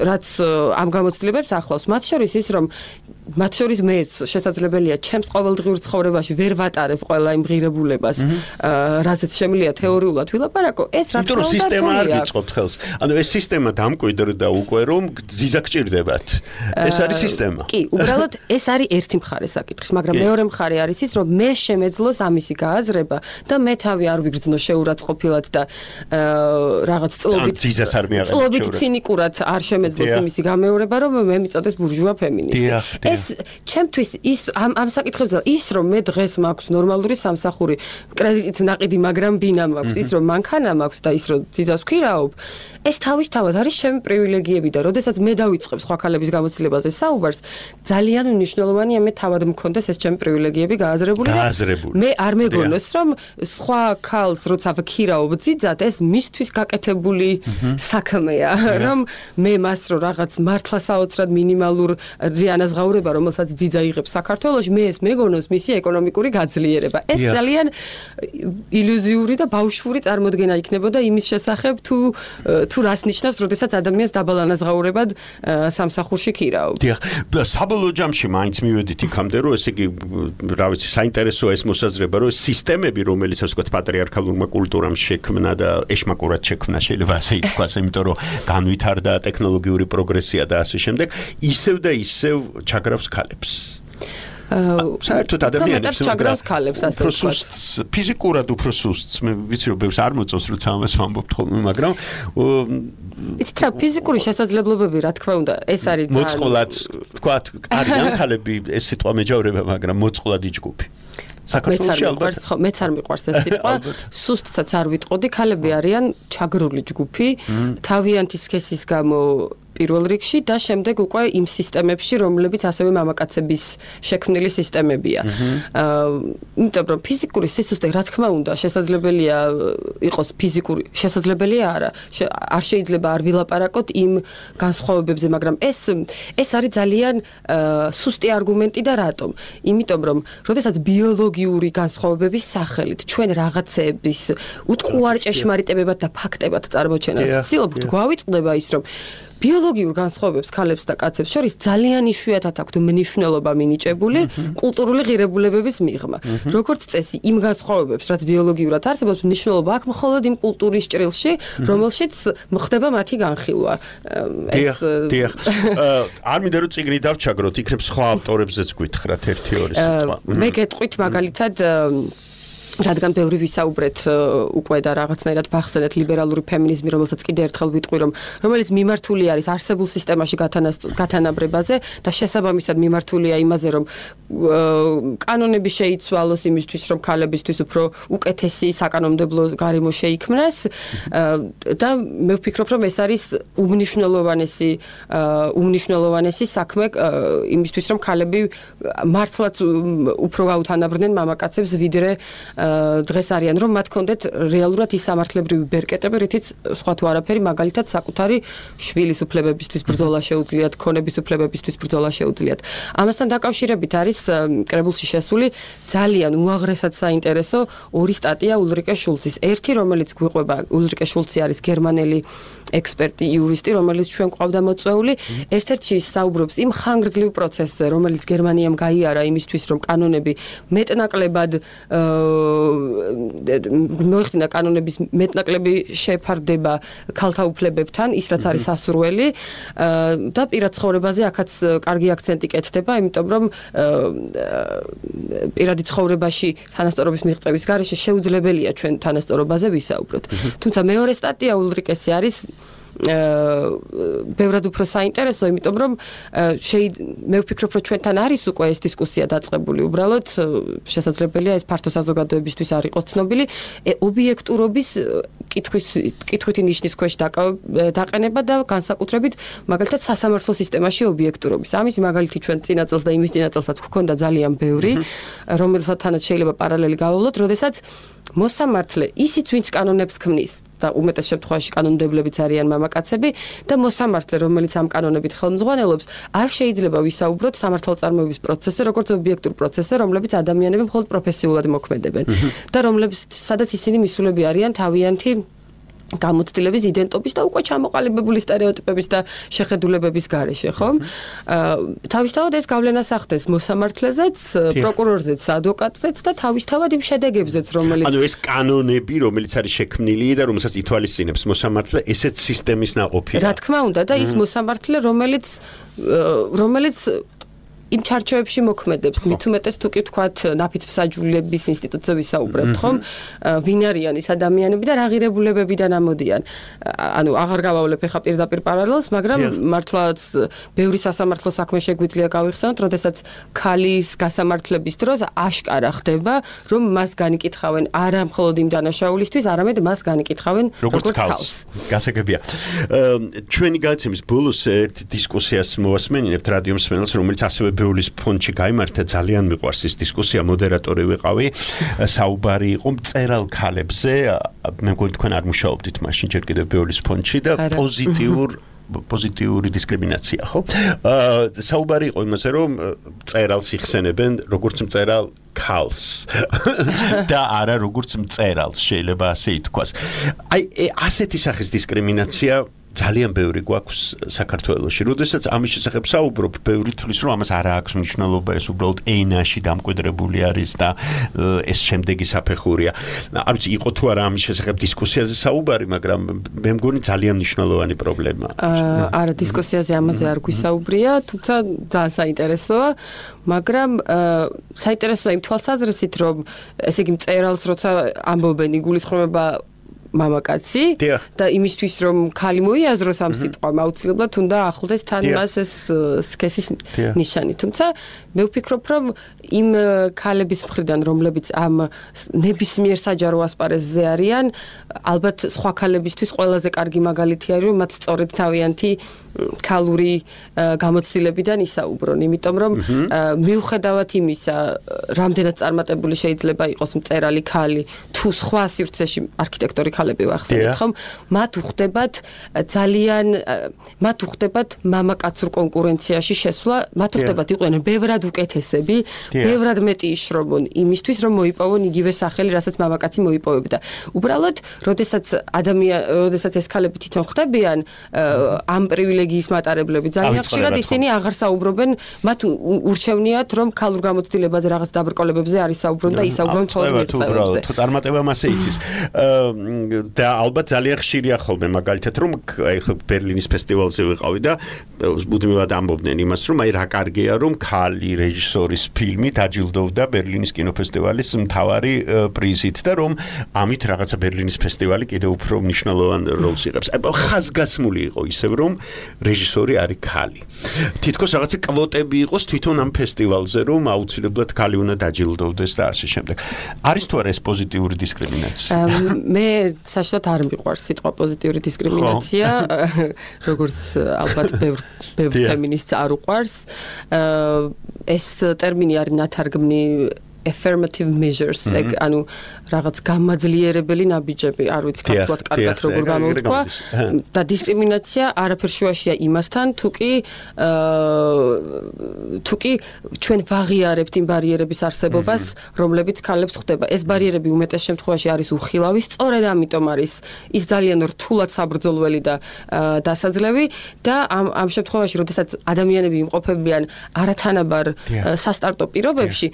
S8: რაც ამ გამოცდილებებს ახლავს. მათ შორის ის რომ მათ შორის მეც შესაძლებელია ჩემს ყოველდღიურ ცხოვრებაში ვერ ვატარებ ყველა იმ ღირებულებას, რაზეც შემიძლია თეორიულად ვილაპარაკო, ეს რა თქმა უნდა
S3: სისტემა არ გიწყობთ ხელს. ანუ ეს სისტემა დამკვიდრდა უკვე რომ გზიზა გჭირდებათ. ეს არის სისტემა.
S8: კი, უბრალოდ ეს არის ერთი მხარე საკითხის, მაგრამ მეორე მხარე არის ის, რომ მე შემეძლოს ამისი გააზრება და მე თავი არ ვიგრძნო შეურაცხყოფილად და რაღაც წლობით წლობით ცინიკურად არ შემეძლოს იმისი გამეორება, რომ მე მიწოდეს ბურჟუა ფემინისტი. ეს ჩემთვის ის ამ ამ საკითხებზე ის რომ მე დღეს მაქვს ნორმალური სამსახური, კრედიტით ნაყიდი, მაგრამ ბინა მაქვს, ის რომ მანქანა მაქვს და ის რომ ძიძას ვქირავობ, ეს თავისთავად არის ჩემი პრივილეგიები და როდესაც მე დავიწყებ სხვა ქალების გამოცდილებაზე საუბარს, ძალიან მნიშვნელოვანია მე თავად მქონდეს ეს ჩემი პრივილეგიები გააზრებული და მე არ მეგონოს რომ სხვა ქალს როცა ვქირავობ ძიძად, ეს მისთვის გაკეთებული საქმეა, რომ მე მას რო რაღაც მართლა საოცრად მინიმალურ რიანაზღაურება, რომელსაც ძიძა იღებს საქართველოში, მე ეს მეგონოს მისი ეკონომიკური გაძლიერება. ეს ძალიან ილუზიური და ბავშვური წარმოდგენა იქნებოდა იმის შესახებ, თუ თუ რას ნიშნავს, როდესაც ადამიანს დაბალანაზღაურებად სამსახურში ქირავ.
S3: დიახ, საბოლოო ჯამში მაინც მივედით იქამდე, რომ ესე იგი, რა ვიცი, საინტერესოა ეს მოსაზრება, რომ სისტემები, რომელიც ასე ვთქვათ, პატრიარქალურმა კულტურამ შექმნა და ეშმაკურად შექმნა, შეიძლება ასე ითქვას, იმიტომ რომ განვითარდა ტექნოლოგიური პროგრესია და ასე შემდეგ, ისევ და ისევ ჩაგრავს ქალებს. საერთოდ ადამიანებს
S8: ჩაგრავს ქალებს ასე
S3: ვთქვათ. ფიზიკურად უფრო სუსტს, მე ვიცი რომ ბევრს არ მოწონს როცა ამას ვამბობთ ხოლმე, მაგრამ
S8: იცით რა, ფიზიკური შესაძლებლობები, რა თქმა უნდა, ეს არის ძალიან
S3: მოწყვლად, ვთქვათ, არიან ქალები, ეს სიტყვა მეჯავრება, მაგრამ მოწყვლადი ჯგუფი.
S8: საქართველოში ალბათ მეც არ მიყვარს ეს სიტყვა, სუსტსაც არ ვიტყოდი, ქალები არიან ჩაგრული ჯგუფი, თავიანთი სქესის გამო პირველ რიგში და შემდეგ უკვე იმ სისტემებში, რომლებიც ასევე მამაკაცების შექმნილი სისტემებია. იმიტომ რომ ფიზიკური სისუსტე, რა თქმა უნდა, შესაძლებელია იყოს ფიზიკური, შესაძლებელია არა, არ შეიძლება არ ვილაპარაკოთ იმ განსხვავებებზე, მაგრამ ეს ეს არის ძალიან სუსტი არგუმენტი და რატომ? იმიტომ რომ, როდესაც ბიოლოგიური განსხვავებების სახელით ჩვენ რაღაცეების უტყუარ ჭეშმარიტებებად და ფაქტებად წარმოჩენას ვცდილობთ, გვავიწყდება ის, რომ ბიოლოგიურ განსხვავებებს ქალებს და კაცებს შორის ძალიან იშვიათად აქვთ მნიშვნელობა მინიჭებული კულტურული ღირებულებების მიღმა. როგორც წესი, იმ განსხვავებებს, რაც ბიოლოგიურად არსებობს, მნიშვნელობა აქვს მხოლოდ იმ კულტურის ჭრილში, რომელშიც ხდება მათი განხილვა.
S3: ეს დიახ. არ მინდა რომ წიგნი დავჩაგროთ, იქნებ სხვა ავტორებზეც გითხრათ ერთი ორი სიტყვა.
S8: მე გეტყვით მაგალითად რადგან ბევრი ვისაუბრეთ უკვე და რაღაცნაირად ვახსენეთ ლიბერალური ფემინიზმი, რომელსაც კიდე ერთხელ ვიტყვი, რომ რომელიც მიმართული არის არსებულ სისტემაში გათანაბრებაზე და შესაბამისად მიმართულია იმაზე, რომ კანონები შეიცვალოს იმისთვის, რომ ქალებისთვის უფრო უკეთესი საკანონმდებლო გარემო შეიქმნას და მე ვფიქრობ, რომ ეს არის უმნიშვნელოვანესი უმნიშვნელოვანესი საქმე იმისთვის, რომ ქალები მართლაც უფრო გაუთანაბრდნენ მამაკაცებს, ვიდრე დღეს არიან, რომ მათ კონდეთ რეალურად ის სამართლებრივი ბერკეტები, რითიც სხვა თუ არაფერი, მაგალითად საკუთარი შვილის უფლებებისთვის ბრძოლა შეუძლიათ, ქონების უფლებებისთვის ბრძოლა შეუძლიათ. ამასთან დაკავშირებით არის კრებულში შესული ძალიან უაღრესად საინტერესო ორი სტატია ულრიკე შულცის. ერთი, რომელიც გვიყვება, ულრიკე შულცი არის გერმანელი ექსპერტი, იურისტი, რომელიც ჩვენ გვყავდა მოწვეული, ერთ-ერთში საუბრობს იმ ხანგრძლივ პროცესზე, რომელიც გერმანიამ გაიარა იმისთვის, რომ კანონები მეტნაკლებად მოიხდინა კანონების მეტნაკლები შეფარდება ქალთა უფლებებთან, ის რაც არის სასურველი და პირად ცხოვრებაზე აქაც კარგი აქცენტი კეთდება, იმიტომ რომ პირადი ცხოვრებაში თანასწორობის მიღწევის გარეშე შეუძლებელია ჩვენ თანასწორობაზე ვისაუბროთ. თუმცა მეორე სტატია ულრიკესი არის ბევრად უფრო საინტერესო, იმიტომ რომ მე ვფიქრობ, რომ ჩვენთან არის უკვე ეს დისკუსია დაწყებული, უბრალოდ შესაძლებელია ეს ფართო საზოგადოებისთვის არ იყოს ცნობილი, ობიექტურობის კითხვის კითხვითი ნიშნის ქვეშ დაყენება და განსაკუთრებით მაგალითად სასამართლო სისტემაში ობიექტურობის. ამის მაგალითი ჩვენ წინა წელს და იმის წინა წელსაც გვქონდა ძალიან ბევრი, რომელთანაც შეიძლება პარალელი გავავლოთ, როდესაც მოსამართლე ისიც ვინც კანონებს ქმნის და უმეტეს შემთხვევაში კანონმდებლებიც არიან მამაკაცები და მოსამართლე, რომელიც ამ კანონებით ხელმძღვანელობს, არ შეიძლება ვისაუბროთ სამართალწარმოების პროცესზე, როგორც ობიექტურ პროცესზე, რომლებიც ადამიანები მხოლოდ პროფესიულად მოქმედებენ და რომლებიც სადაც ისინი მისულები არიან თავიანთი გამოცდილების იდენტობის და უკვე ჩამოყალიბებული სტერეოტიპების და შეხედულებების გარეშე, ხო? თავისთავად ეს გავლენას ახდენს მოსამართლეზეც, პროკურორზეც, ადვოკატზეც და თავისთავად იმ შედეგებზეც, რომელიც
S3: ანუ ეს კანონები, რომელიც არის შექმნილი და რომელსაც ითვალისწინებს მოსამართლე, ესეც სისტემის ნაყოფია.
S8: რა თქმა უნდა და ის მოსამართლე, რომელიც რომელიც იმ ჩარჩოებში მოქმედებს, მით უმეტეს თუ კი ვთქვათ, ნაფიცმსაჯულების ინსტიტუტზე ვისაუბრებთ, ხომ? ვინ არიან ის ადამიანები და რა ღირებულებებიდან ამოდიან. ანუ აღარ გავავლებ ახლა პირდაპირ პარალელს, მაგრამ მართლაც ბევრი სასამართლო საქმე შეგვიძლია გავიხსენოთ, როდესაც ქალის გასამართლების დროს აშკარა ხდება, რომ მას განიკითხავენ არა მხოლოდ იმ დანაშაულისთვის, არამედ მას განიკითხავენ როგორც ქალს.
S3: გასაგებია. ჩვენი გადაცემის ბოლოს ერთ დისკუსიას მოვასმენინებთ რადიო მსმენელს, რომელიც ასევე ბეულის ფონდში გაიმართა, ძალიან მიყვარს ის დისკუსია, მოდერატორი ვიყავი, საუბარი იყო მწერალ ქალებზე, მე მგონი თქვენ არ მუშაობდით მაშინ ჯერ კიდევ ბეულის ფონდში და პოზიტიურ პოზიტიური დისკრიმინაცია, ხო? საუბარი იყო იმაზე, რომ მწერალს იხსენებენ როგორც მწერალ ქალს და არა როგორც მწერალს, შეიძლება ასე ითქვას. აი, ასეთი სახის დისკრიმინაცია ძალიან ბევრი გვაქვს საქართველოში. როდესაც ამის შესახებ საუბრობ, ბევრი თვლის, რომ ამას არ აქვს მნიშვნელობა, ეს უბრალოდ ენაში დამკვიდრებული არის და ეს შემდეგი საფეხურია. არ ვიცი, იყო თუ არა ამის შესახებ დისკუსიაზე საუბარი, მაგრამ მე მგონი ძალიან მნიშვნელოვანი პრობლემაა.
S8: არა, დისკუსიაზე ამაზე არ გვისაუბრია, თუმცა ძალიან საინტერესოა, მაგრამ საინტერესოა იმ თვალსაზრისით, რომ ესე იგი მწერალს როცა ამბობენ, იგულისხმება მამაკაცი და იმისთვის რომ ქალი მოიაზროს ამ სიტყვამ აუცილებლად უნდა ახლდეს თან მას ეს სქესის ნიშანი. თუმცა მე ვფიქრობ რომ იმ ქალების მხრიდან რომლებიც ამ ნებისმიერ საჯარო ასპარეზზე არიან, ალბათ სხვა ქალებისთვის ყველაზე კარგი მაგალითი არის რომ მათ სწორედ თავიანთი ქალური გამოცდილებიდან ისაუბრონ, იმიტომ რომ მიუხედავად იმისა, რამდენად წარმატებული შეიძლება იყოს მწერალი ქალი თუ სხვა სივრცეში არქიტექტორი ქალები ვახსენეთ, ხომ? მათ უხდებათ ძალიან მათ უხდებათ მამაკაცურ კონკურენციაში შესვლა, მათ უხდებათ იყვნენ ბევრად უკეთესები, ბევრად მეტი იშრობონ იმისთვის, რომ მოიპოვონ იგივე სახელი, რასაც მამაკაცი მოიპოვებდა. უბრალოდ, როდესაც ადამიანი, როდესაც ეს ქალები თვითონ ხდებიან ამ პრივილეგიის მატარებლები, ძალიან ხშირად ისინი აღარ საუბრობენ, მათ ურჩევნიათ, რომ ქალურ გამოცდილებაზე რაღაც დაბრკოლებებზე არის საუბრონ და ისაუბრონ მხოლოდ მიღწევებზე.
S3: თუ წარმატება მასე იცის. და ალბათ ძალიან ხშირია ხოლმე მაგალითად რომ აი ხო ბერლინის ფესტივალზე ვიყავი და მუდმივად ამბობდნენ იმას რომ აი რა კარგია რომ ქალი რეჟისორის ფილმი დაჯილდოვდა ბერლინის კინოფესტივალის მთავარი პრიზით და რომ ამით რაღაცა ბერლინის ფესტივალი კიდევ უფრო მნიშვნელოვან როლს იღებს. აი ხაზგასმული იყო ისევ რომ რეჟისორი არის ქალი. თითქოს რაღაცა კვოტები იყოს თვითონ ამ ფესტივალზე რომ აუცილებლად ქალი უნდა დაჯილდოვდეს და ასე შემდეგ. არის თუ არა ეს პოზიტიური დისკრიმინაცია?
S8: მე საშუალოდ არ მიყვარს სიტყვა პოზიტიური დისკრიმინაცია, როგორც ალბათ ბევრ ბევრ ფემინისტს არ უყვარს. ეს ტერმინი არის ნათარგმნი affirmative measures, ანუ რაღაც გამაძლიერებელი ნაბიჯები, არ ვიცი ქართულად კარგად როგორ გამოვთქვა და დისკრიმინაცია არაფერ შუაშია იმასთან, თუკი თუკი ჩვენ ვაღიარებთ იმ ბარიერების არსებობას, რომლებიც ქალებს ხვდება. ეს ბარიერები უმეტეს შემთხვევაში არის უხილავი, სწორედ ამიტომ არის ის ძალიან რთულად საბრძოლველი და დასაძლევი და ამ ამ შემთხვევაში, როდესაც ადამიანები იმყოფებიან არათანაბარ სასტარტო პირობებში,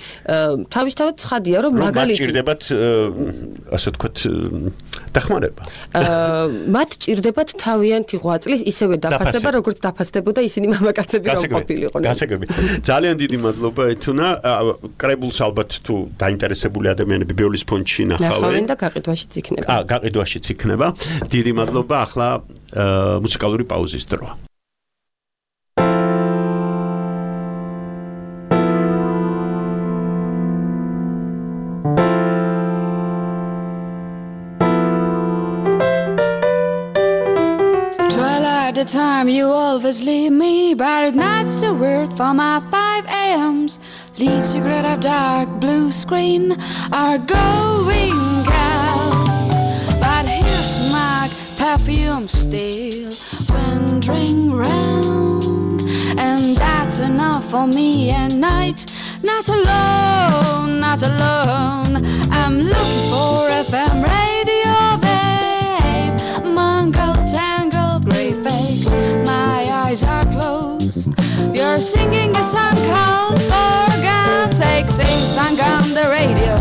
S8: თავისთავად ცხადია, რომ მაგალითად
S3: ჭირდებათ ასე ვთქვათ დახმარება.
S8: მათ ჭირდებათ თავიანთი ღვაწლის ისევე დაფასება, როგორც დაფასდებოდა ისინი მამაკაცები რომ ყოფილიყვნენ.
S3: გასაგები. ძალიან დიდი მადლობა ეთუნა. კრებულს ალბათ თუ დაინტერესებული ადამიანები ბეულის ფონდში ნახავენ
S8: და გაყიდვაშიც იქნება.
S3: აა, გაყიდვაშიც იქნება. დიდი მადლობა. ახლა მუსიკალური პაუზის დროა.
S10: The time you always leave me, but that's a word for my five a.m.s. Lead cigarette of dark blue screen are going out, but here's my perfume still wandering round, and that's enough for me at night. Not alone, not alone. I'm looking for F M radio, babe. song on the radio.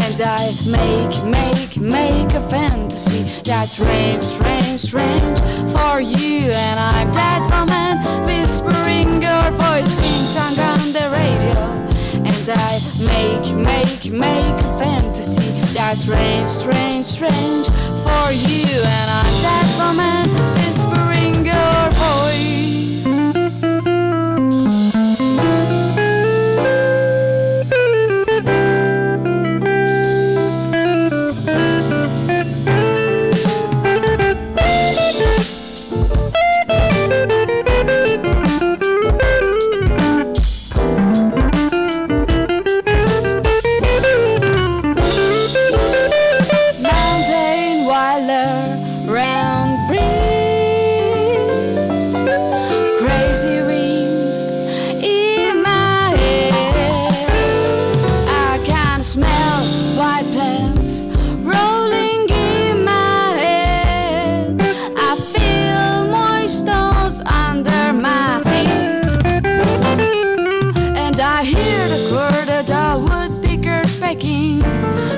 S10: And I make, make, make a fantasy that's strange, strange, strange for you. And I'm that woman whispering your voice in song on the radio. And I make, make, make a fantasy that's strange, strange, strange for you. And I'm that woman whispering your voice.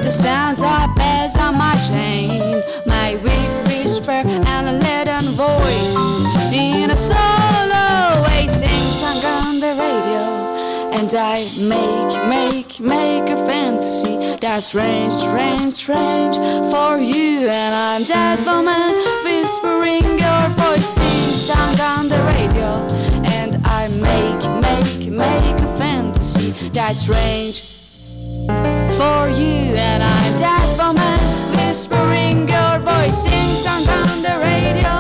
S10: The sounds are bells on my chain, my weak whisper and a leaden voice in a solo way sing song on the radio. And I make, make, make a fantasy that's strange, strange, strange for you. And I'm that woman whispering your voice sing song on the radio. And I make, make, make a fantasy that's strange for you. And I'm that woman whispering your voice sing song on the radio.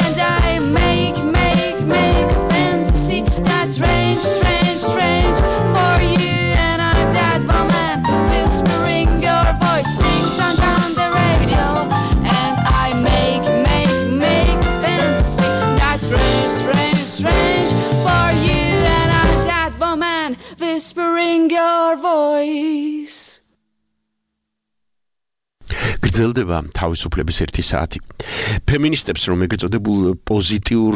S10: And I make, make, make a fantasy that's strange, strange, strange for you. And I'm that woman whispering your voice sing song on the radio. And I make, make, make a fantasy that's strange, strange, strange for you. And I'm that woman whispering your voice.
S3: გრძელდება თავისუფლების ერთი საათი. ფემინისტებს რომ ეგეწოდებულ პოზიტიურ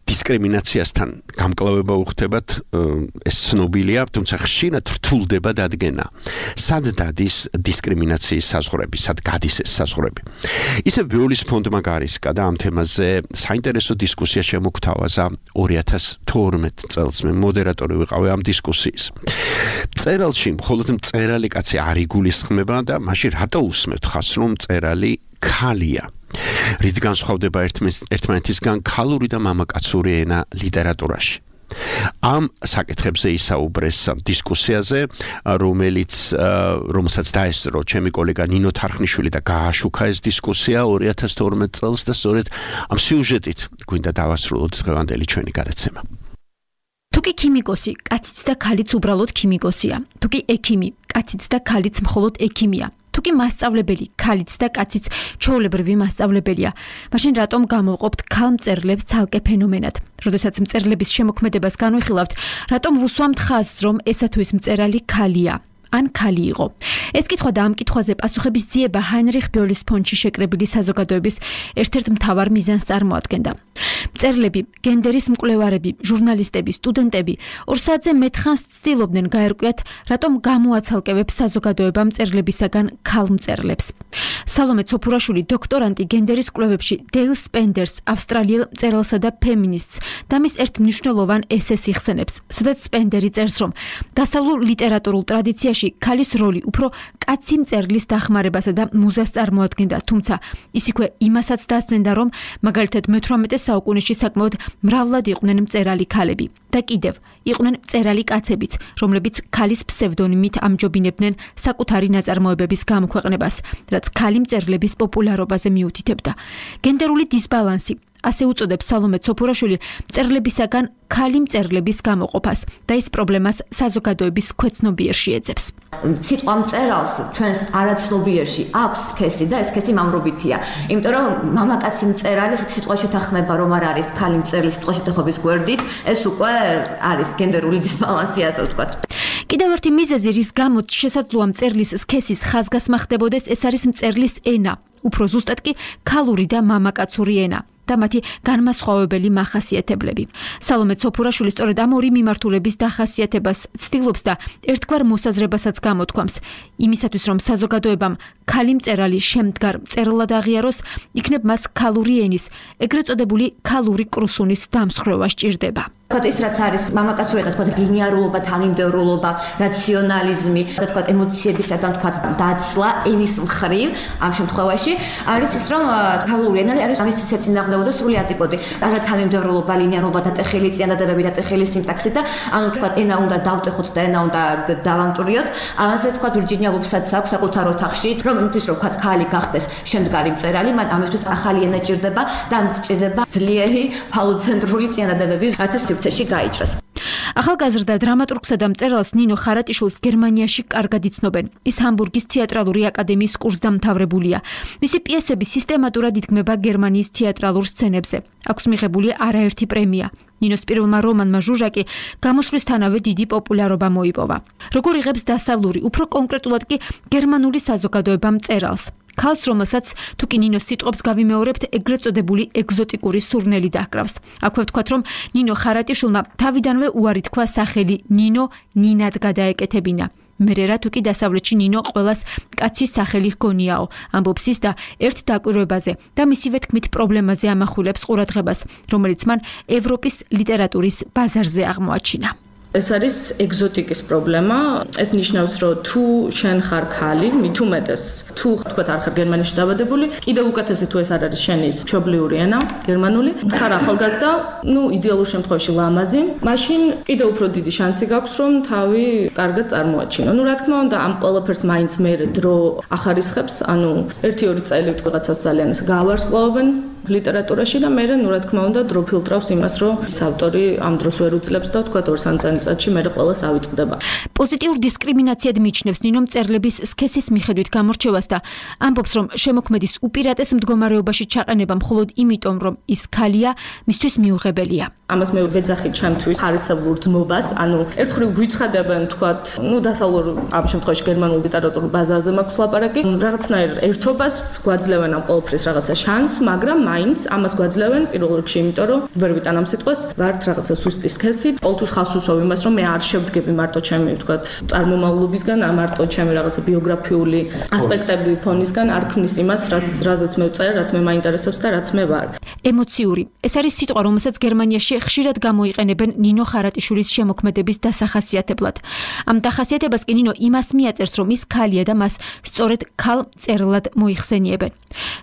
S3: დისკრიმინაციასთან გამკლავება უხდებათ, ეს ცნობილია, თუმცა ხშირად რთულდება დადგენა. სად დადის დისკრიმინაციის საზღვრები, სად გადის ეს საზღვრები. ისევ ბიოლის ფონდმა გარისკა და ამ თემაზე საინტერესო დისკუსია შემოგთავაზა ორი ათას თორმეტ წელს. მე მოდერატორი ვიყავი ამ დისკუსიის. წერალში მხოლოდ მწერალი კაცი არ იგულისხმება და მაშინ რატო უსმევთ ხას რომ მწერალი ქალია. რით განსხვავდება ერთმანეთისგან ქალური და მამაკაცური ენა ლიტერატურაში. ამ საკითხებზე ისაუბრეს დისკუსიაზე, რომელიც რომელსაც დაესწრო ჩემი კოლეგა ნინო თარხნიშვილი და გააშუქა ეს დისკუსია ორი ათას თორმეტ წელს და სწორედ ამ სიუჟეტით გვინდა დავასრულოთ დღევანდელი ჩვენი გადაცემა.
S11: თუკი ქიმიკოსი, კაციც და ქალიც უბრალოდ ქიმიკოსია. თუკი ექიმი, კაციც და ქალიც მხოლოდ ექიმია. თუკი მასწავლებელი, ქალიც და კაციც ჩვეულებრივი მასწავლებელია, მაშინ რატომ გამოვყოფთ ქალმწერლებს ცალკე ფენომენად? როდესაც მწერლების შემოქმედებას განვიხილავთ, რატომ ვუსვამთ ხაზს, რომ ესა თუ ის მწერალი ქალია? ან ქალი იყო. ეს კითხვა და ამ კითხვაზე პასუხების ძიება ჰაინრიხ ბიოლის ფონდში შეკრებილი საზოგადოების ერთ-ერთ მთავარ მიზანს წარმოადგენდა. მწერლები, გენდერის მკვლევარები, ჟურნალისტები, სტუდენტები ორ საათზე მეტხანს ცდილობდნენ გაერკვიათ, რატომ გამოაცალკევებს საზოგადოება მწერლებისაგან ქალმწერლებს. სალომე ცოფურაშვილი, დოქტორანტი გენდერის კვლევებში დეილ სპენდერს, ავსტრალიელ მწერალსა და ფემინისტს და მის ერთ მნიშვნელოვან ესეს იხსენებს, სადაც სპენდერი წერს, რომ დასავლურ ლიტერატურულ ტრადიციაში ქალის როლი უფრო კაცი მწერლის დახმარებასა და მუზას წარმოადგენდა, თუმცა ის იქვე იმასაც დასძენდა, რომ მაგალითად მეთვრამეტე საუკუნეში საკმაოდ მრავლად იყვნენ მწერალი ქალები და კიდევ იყვნენ მწერალი კაცებიც, რომლებიც ქალის ფსევდონიმით ამჯობინებდნენ საკუთარი ნაწარმოებების გამოქვეყნებას, რაც ქალი მწერლების პოპულარობაზე მიუთითებდა. გენდერული დისბალანსი ასე უწოდებს სალომე ცოფურაშვილი მწერლებისაგან ქალი მწერლების გამოყოფას და ეს პრობლემას საზოგადოების ქვეცნობიერში ეძებს.
S12: სიტყვა მწერალს ჩვენს არაცნობიერში აქვს სქესი და ეს სქესი მამრობითია. იმიტომ რომ მამაკაცი მწერალი ეს სიტყვა შეთანხმება რომ არ არის ქალი მწერლის სიტყვა შეთანხმების გვერდით, ეს უკვე არის გენდერული დისბალანსი, ასე ვთქვათ.
S11: კიდევ ერთი მიზეზი, რის გამოც შესაძლოა მწერლის სქესის ხაზგასმა ხდებოდეს, ეს არის მწერლის ენა. უფრო ზუსტად კი ქალური და მამაკაცური ენა. და მათი განმასხვავებელი მახასიათებლები. სალომე ცოფურაშვილი სწორედ ამ ორი მიმართულების დახასიათებას ცდილობს და ერთგვარ მოსაზრებასაც გამოთქვამს. იმისათვის რომ საზოგადოებამ ქალი მწერალი შემდგარ მწერლად აღიაროს, იქნებ მას ქალური ენის, ეგრეთ წოდებული ქალური კრუსუნის დამსხვრევა სჭირდება.
S12: თქვათ ის რაც არის მამაკაცურიდან თქვათ ლინიარულობა, თანმიმდევრულობა, რაციონალიზმი და თქვათ ემოციებისაგან თქვათ დაცლა ენის მხრივ ამ შემთხვევაში არის ის რომ ქალური ენა არის ამის წინააღმდეგობა და სრული ანტიპოდი. არა თანმიმდევრულობა, ლინიარულობა და ტეხილი წინადადები და ტეხილი სინტაქსი და ანუ თქვათ ენა უნდა დავტეხოთ და ენა უნდა დავამტვრიოთ. ამაზე თქვათ ვირჯინია ვულფსაც აქვს საკუთარ ოთახში რომ იმისთვის რომ თქვათ ქალი გახდეს შემდგარი მწერალი, მან ამისთვის ახალი ენა ჭირდება და სჭირდება ძლიერი ფალოცენტრული წინადადებები, რათა სივრცეში გაიჭრას.
S11: ახალგაზრდა დრამატურგსა და მწერალს ნინო ხარატიშვილს გერმანიაში კარგად იცნობენ. ის ჰამბურგის თეატრალური აკადემიის კურსდამთავრებულია. მისი პიესები სისტემატურად იდგმება გერმანიის თეატრალურ სცენებზე. აქვს მიღებული არაერთი პრემია. ნინოს პირველმა რომანმა ჟუჟაკი გამოსვლისთანავე დიდი პოპულარობა მოიპოვა. როგორ იღებს დასავლური, უფრო კონკრეტულად კი გერმანული საზოგადოება მწერალს? ქალს, რომელსაც თუ კი ნინოს სიტყვებს გავიმეორებთ, ეგრეთ წოდებული ეგზოტიკური სურნელი დაჰკრავს. აქვე ვთქვათ, რომ ნინო ხარატიშვილმა თავიდანვე უარი თქვა სახელი ნინო ნინად გადაეკეთებინა. მერე რა თუ კი დასავლეთში ნინო ყველას კაცის სახელი ჰგონიაო, ამბობს ის და ერთ დაკვირვებაზე და მისივე თქმით პრობლემაზე ამახვილებს ყურადღებას, რომელიც მან ევროპის ლიტერატურის ბაზარზე აღმოაჩინა.
S13: ეს არის ეგზოტიკის პრობლემა. ეს ნიშნავს, რომ თუ შენ ხარ ქალი, მით უმეტეს თუ თქვათ არ ხარ გერმანიაში დაბადებული, კიდევ უკეთესი თუ ეს არ არის შენი მშობლიური ენა, გერმანული, ხარ ახალგაზრდა, ну, იდეალურ შემთხვევაში ლამაზი, მაშინ კიდევ უფრო დიდი შანსი გაქვს, რომ თავი კარგად წარმოაჩინო. ну, რა თქმა უნდა, ამ ყველაფერს მაინც მე დრო ახარისხებს, ანუ ერთი ორი წელი ვთქვათ ძალიან ეს გავარსკვლავებენ ლიტერატურაში და მე ნუ რა თქმა უნდა დრო ფილტრავს იმას, რომ ავტორი ამ დროს ვერ უძლებს და თქვათ ორ სამ წელიწადში მე ყველას ავიწყდება.
S11: პოზიტიურ დისკრიმინაციად მიიჩნევს ნინო მწერლების სქესის მიხედვით გამორჩევას და ამბობს, რომ შემოქმედის უპირატეს მდგომარეობაში ჩაყენება მხოლოდ იმიტომ, რომ ის ქალია, მისთვის მიუღებელია.
S13: ამას მე ვეძახი ჩემთვის ხარისეულურ ძმობას, ანუ ერთხელ გვიცხადებენ თქვათ, ну დასავლურ ამ შემთხვევაში გერმანულ ლიტერატურულ ბაზარზე მაქვს ლაპარაკი, რაღაცნაირ ერთობას გვაძლევენ ამ ყველაფრის რაღაცა შანსს, მაგრამ მაინც ამას გვაძლევენ პირველ რიგში, იმიტომ რომ ვერ ვიტან ამ სიტყვას, ვართ რაღაცა სუსტი სქესი, ყოველთვის ხალხს უსვავ იმას, რომ მე არ შევდგები მარტო ჩემი თქვათ წარმომავლობისგან, არ მარტო ჩემი რაღაცა ბიოგრაფიული ასპექტები ფონისგან, არ ქმნის იმას, რაც რაზეც მე ვწერ, რაც მე მაინტერესებს და რაც მე ვარ.
S11: ემოციური. ეს არის სიტყვა, რომელსაც გერმანიაში ხშირად გამოიყენებენ ნინო ხარატიშვილის შემოქმედების დასახასიათებლად. ამ დახასიათებას კი ნინო იმას მიაწერს, რომ ის ქალია და მას სწორედ ქალ მწერლად მოიხსენიებენ.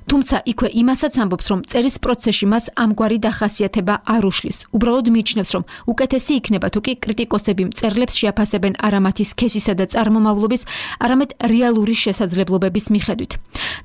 S11: თუმცა იქვე იმასაც ამბობს, რომ წერის პროცესში მას ამგვარი დახასიათება არ უშლის. უბრალოდ მიიჩნევს, რომ უკეთესი იქნება თუ კი კრიტიკოსები მწერლებს შეაფასებენ არა მათი სქესისა და წარმომავლობის, არამედ რეალური შესაძლებლობების მიხედვით.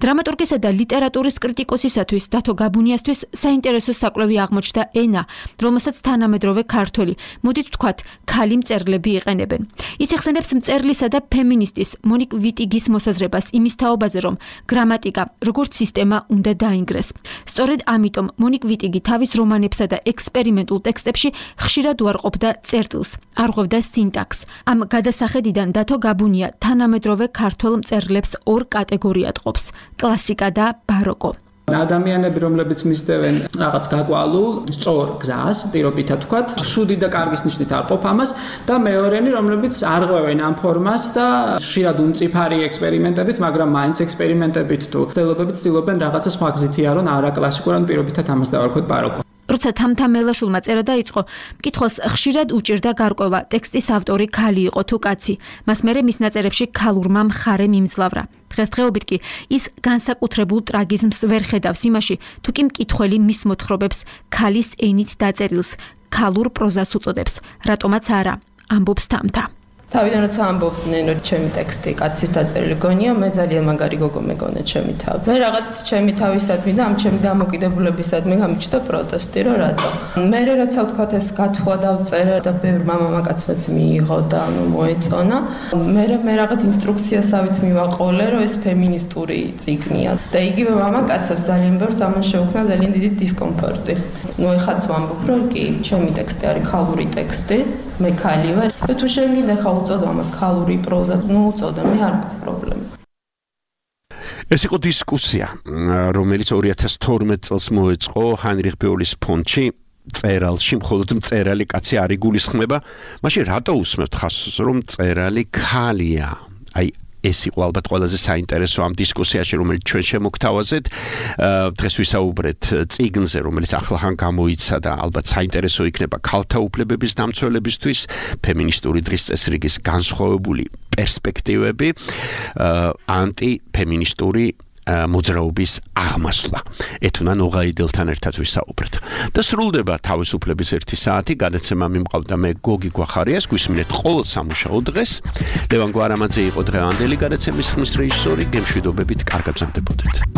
S11: დრამატურგისა და ლიტერატურის კრიტიკოსისათვის დათო გაბუნიასთვის საინტერესო საკვლევი აღმოჩნდა ენა, რომელსაც თანამედროვე ქართველი, მოდით ვთქვათ, ქალი მწერლები იყენებენ. ის იხსენებს მწერლისა და ფემინისტის მონიკ ვიტიგის მოსაზრებას იმის თაობაზე, რომ გრამატიკა როგორც სისტემა უნდა დაინგრეს. სწორედ ამიტომ მონიკ ვიტიგი თავის რომანებსა და ექსპერიმენტულ ტექსტებში ხშირად უარყოფდა წერტილს, არღვევდა სინტაქსს. ამ გადასახედიდან დათო გაბუნია თანამედროვე ქართველ მწერლებს ორ კატეგორიად ყოფს: კლასიკა და ბაროკო.
S14: ადამიანები, რომლებიც მისდევენ რაღაც გაკვალულ, სწორ გზას, პირობითად ვთქვათ, სუდი და კარგის ნიშნით არ ყოფ ამას და მეორენი, რომლებიც არღვევენ ამ ფორმას და ხშირად უმწიფარი ექსპერიმენტებით, მაგრამ მაინც ექსპერიმენტებით თუ ცდილობებით ცდილობენ რაღაცა სხვა გზით იარონ, არა კლასიკურ, ან პირობითად ამას დავარქვათ ბაროკო.
S11: როცა თამთა მელაშვილმა წერა დაიწყო, მკითხველს ხშირად უჭირდა გარკვევა, ტექსტის ავტორი ქალი იყო თუ კაცი. მას მერე მის ნაწერებში ქალურმა მხარე მიმძლავრა. დღესდღეობით კი ის განსაკუთრებულ ტრაგიზმს ვერ ხედავს იმაში, თუ კი მკითხველი მის მოთხრობებს ქალის ენით დაწერილს, ქალურ პროზას უწოდებს, რატომაც არა, ამბობს თამთა.
S15: თავიდან როცა ამბობდნენ, რომ ჩემი ტექსტი კაცის დაწერილი გონია, მე ძალიან მაგარი გოგო მეგონა ჩემი თავი. მე რაღაც ჩემი თავისადმი და ამ ჩემი დამოკიდებულებისადმი გამიჩნდა პროტესტი, რომ რატო. მე როცა ვთქვათ ეს გათხოვა დავწერე და ბევრ მამაკაცმაც მიიღო და ანუ მოეწონა. მე მე რაღაც ინსტრუქციასავით მივაყოლე, რომ ეს ფემინისტური წიგნია და იგივე მამაკაცებს ძალიან ბევრს ამან შეუქმნა ძალიან დიდი დისკომფორტი. ნუ ეხაც ვამბობ, რომ კი, ჩემი ტექსტი არის ქალური ტექსტი, მე ქალი ვარ. და თუ შენ გინდა ხა უწოდო ამას ქალური პროზა, ნუ უწოდო, მე არ მაქვს პრობლემა.
S3: ეს იყო დისკუსია, რომელიც ორი ათას თორმეტ წელს მოეწყო ჰაინრიხ ბეულის ფონდში. წერალში მხოლოდ მწერალი კაცი არ იგულისხმება, მაშინ რატო უსმევთ ხაზს, რომ მწერალი ქალია? აი ეს იყო ალბათ ყველაზე საინტერესო ამ დისკუსიაში, რომელიც ჩვენ შემოგთავაზეთ. დღეს ვისაუბრეთ წიგნზე, რომელიც ახლახან გამოიცა და ალბათ საინტერესო იქნება ქალთა უფლებების დამცველებისთვის, ფემინისტური დღის წესრიგის განსხვავებული პერსპექტივები, ანტიფემინისტური მოძრაობის აღმასვლა. ეთუნა ნოღაიდელთან ერთად ვისაუბრეთ. და სრულდება თავისუფლების ერთი საათი, გადაცემა მიმყავდა მე გოგი გვახარიას, გვისმინეთ ყოველ სამუშაო დღეს. ლევან გვარამაძე იყო დღევანდელი გადაცემის ხმის რეჟისორი, გემშვიდობებით, კარგად გრძანდებოდეთ.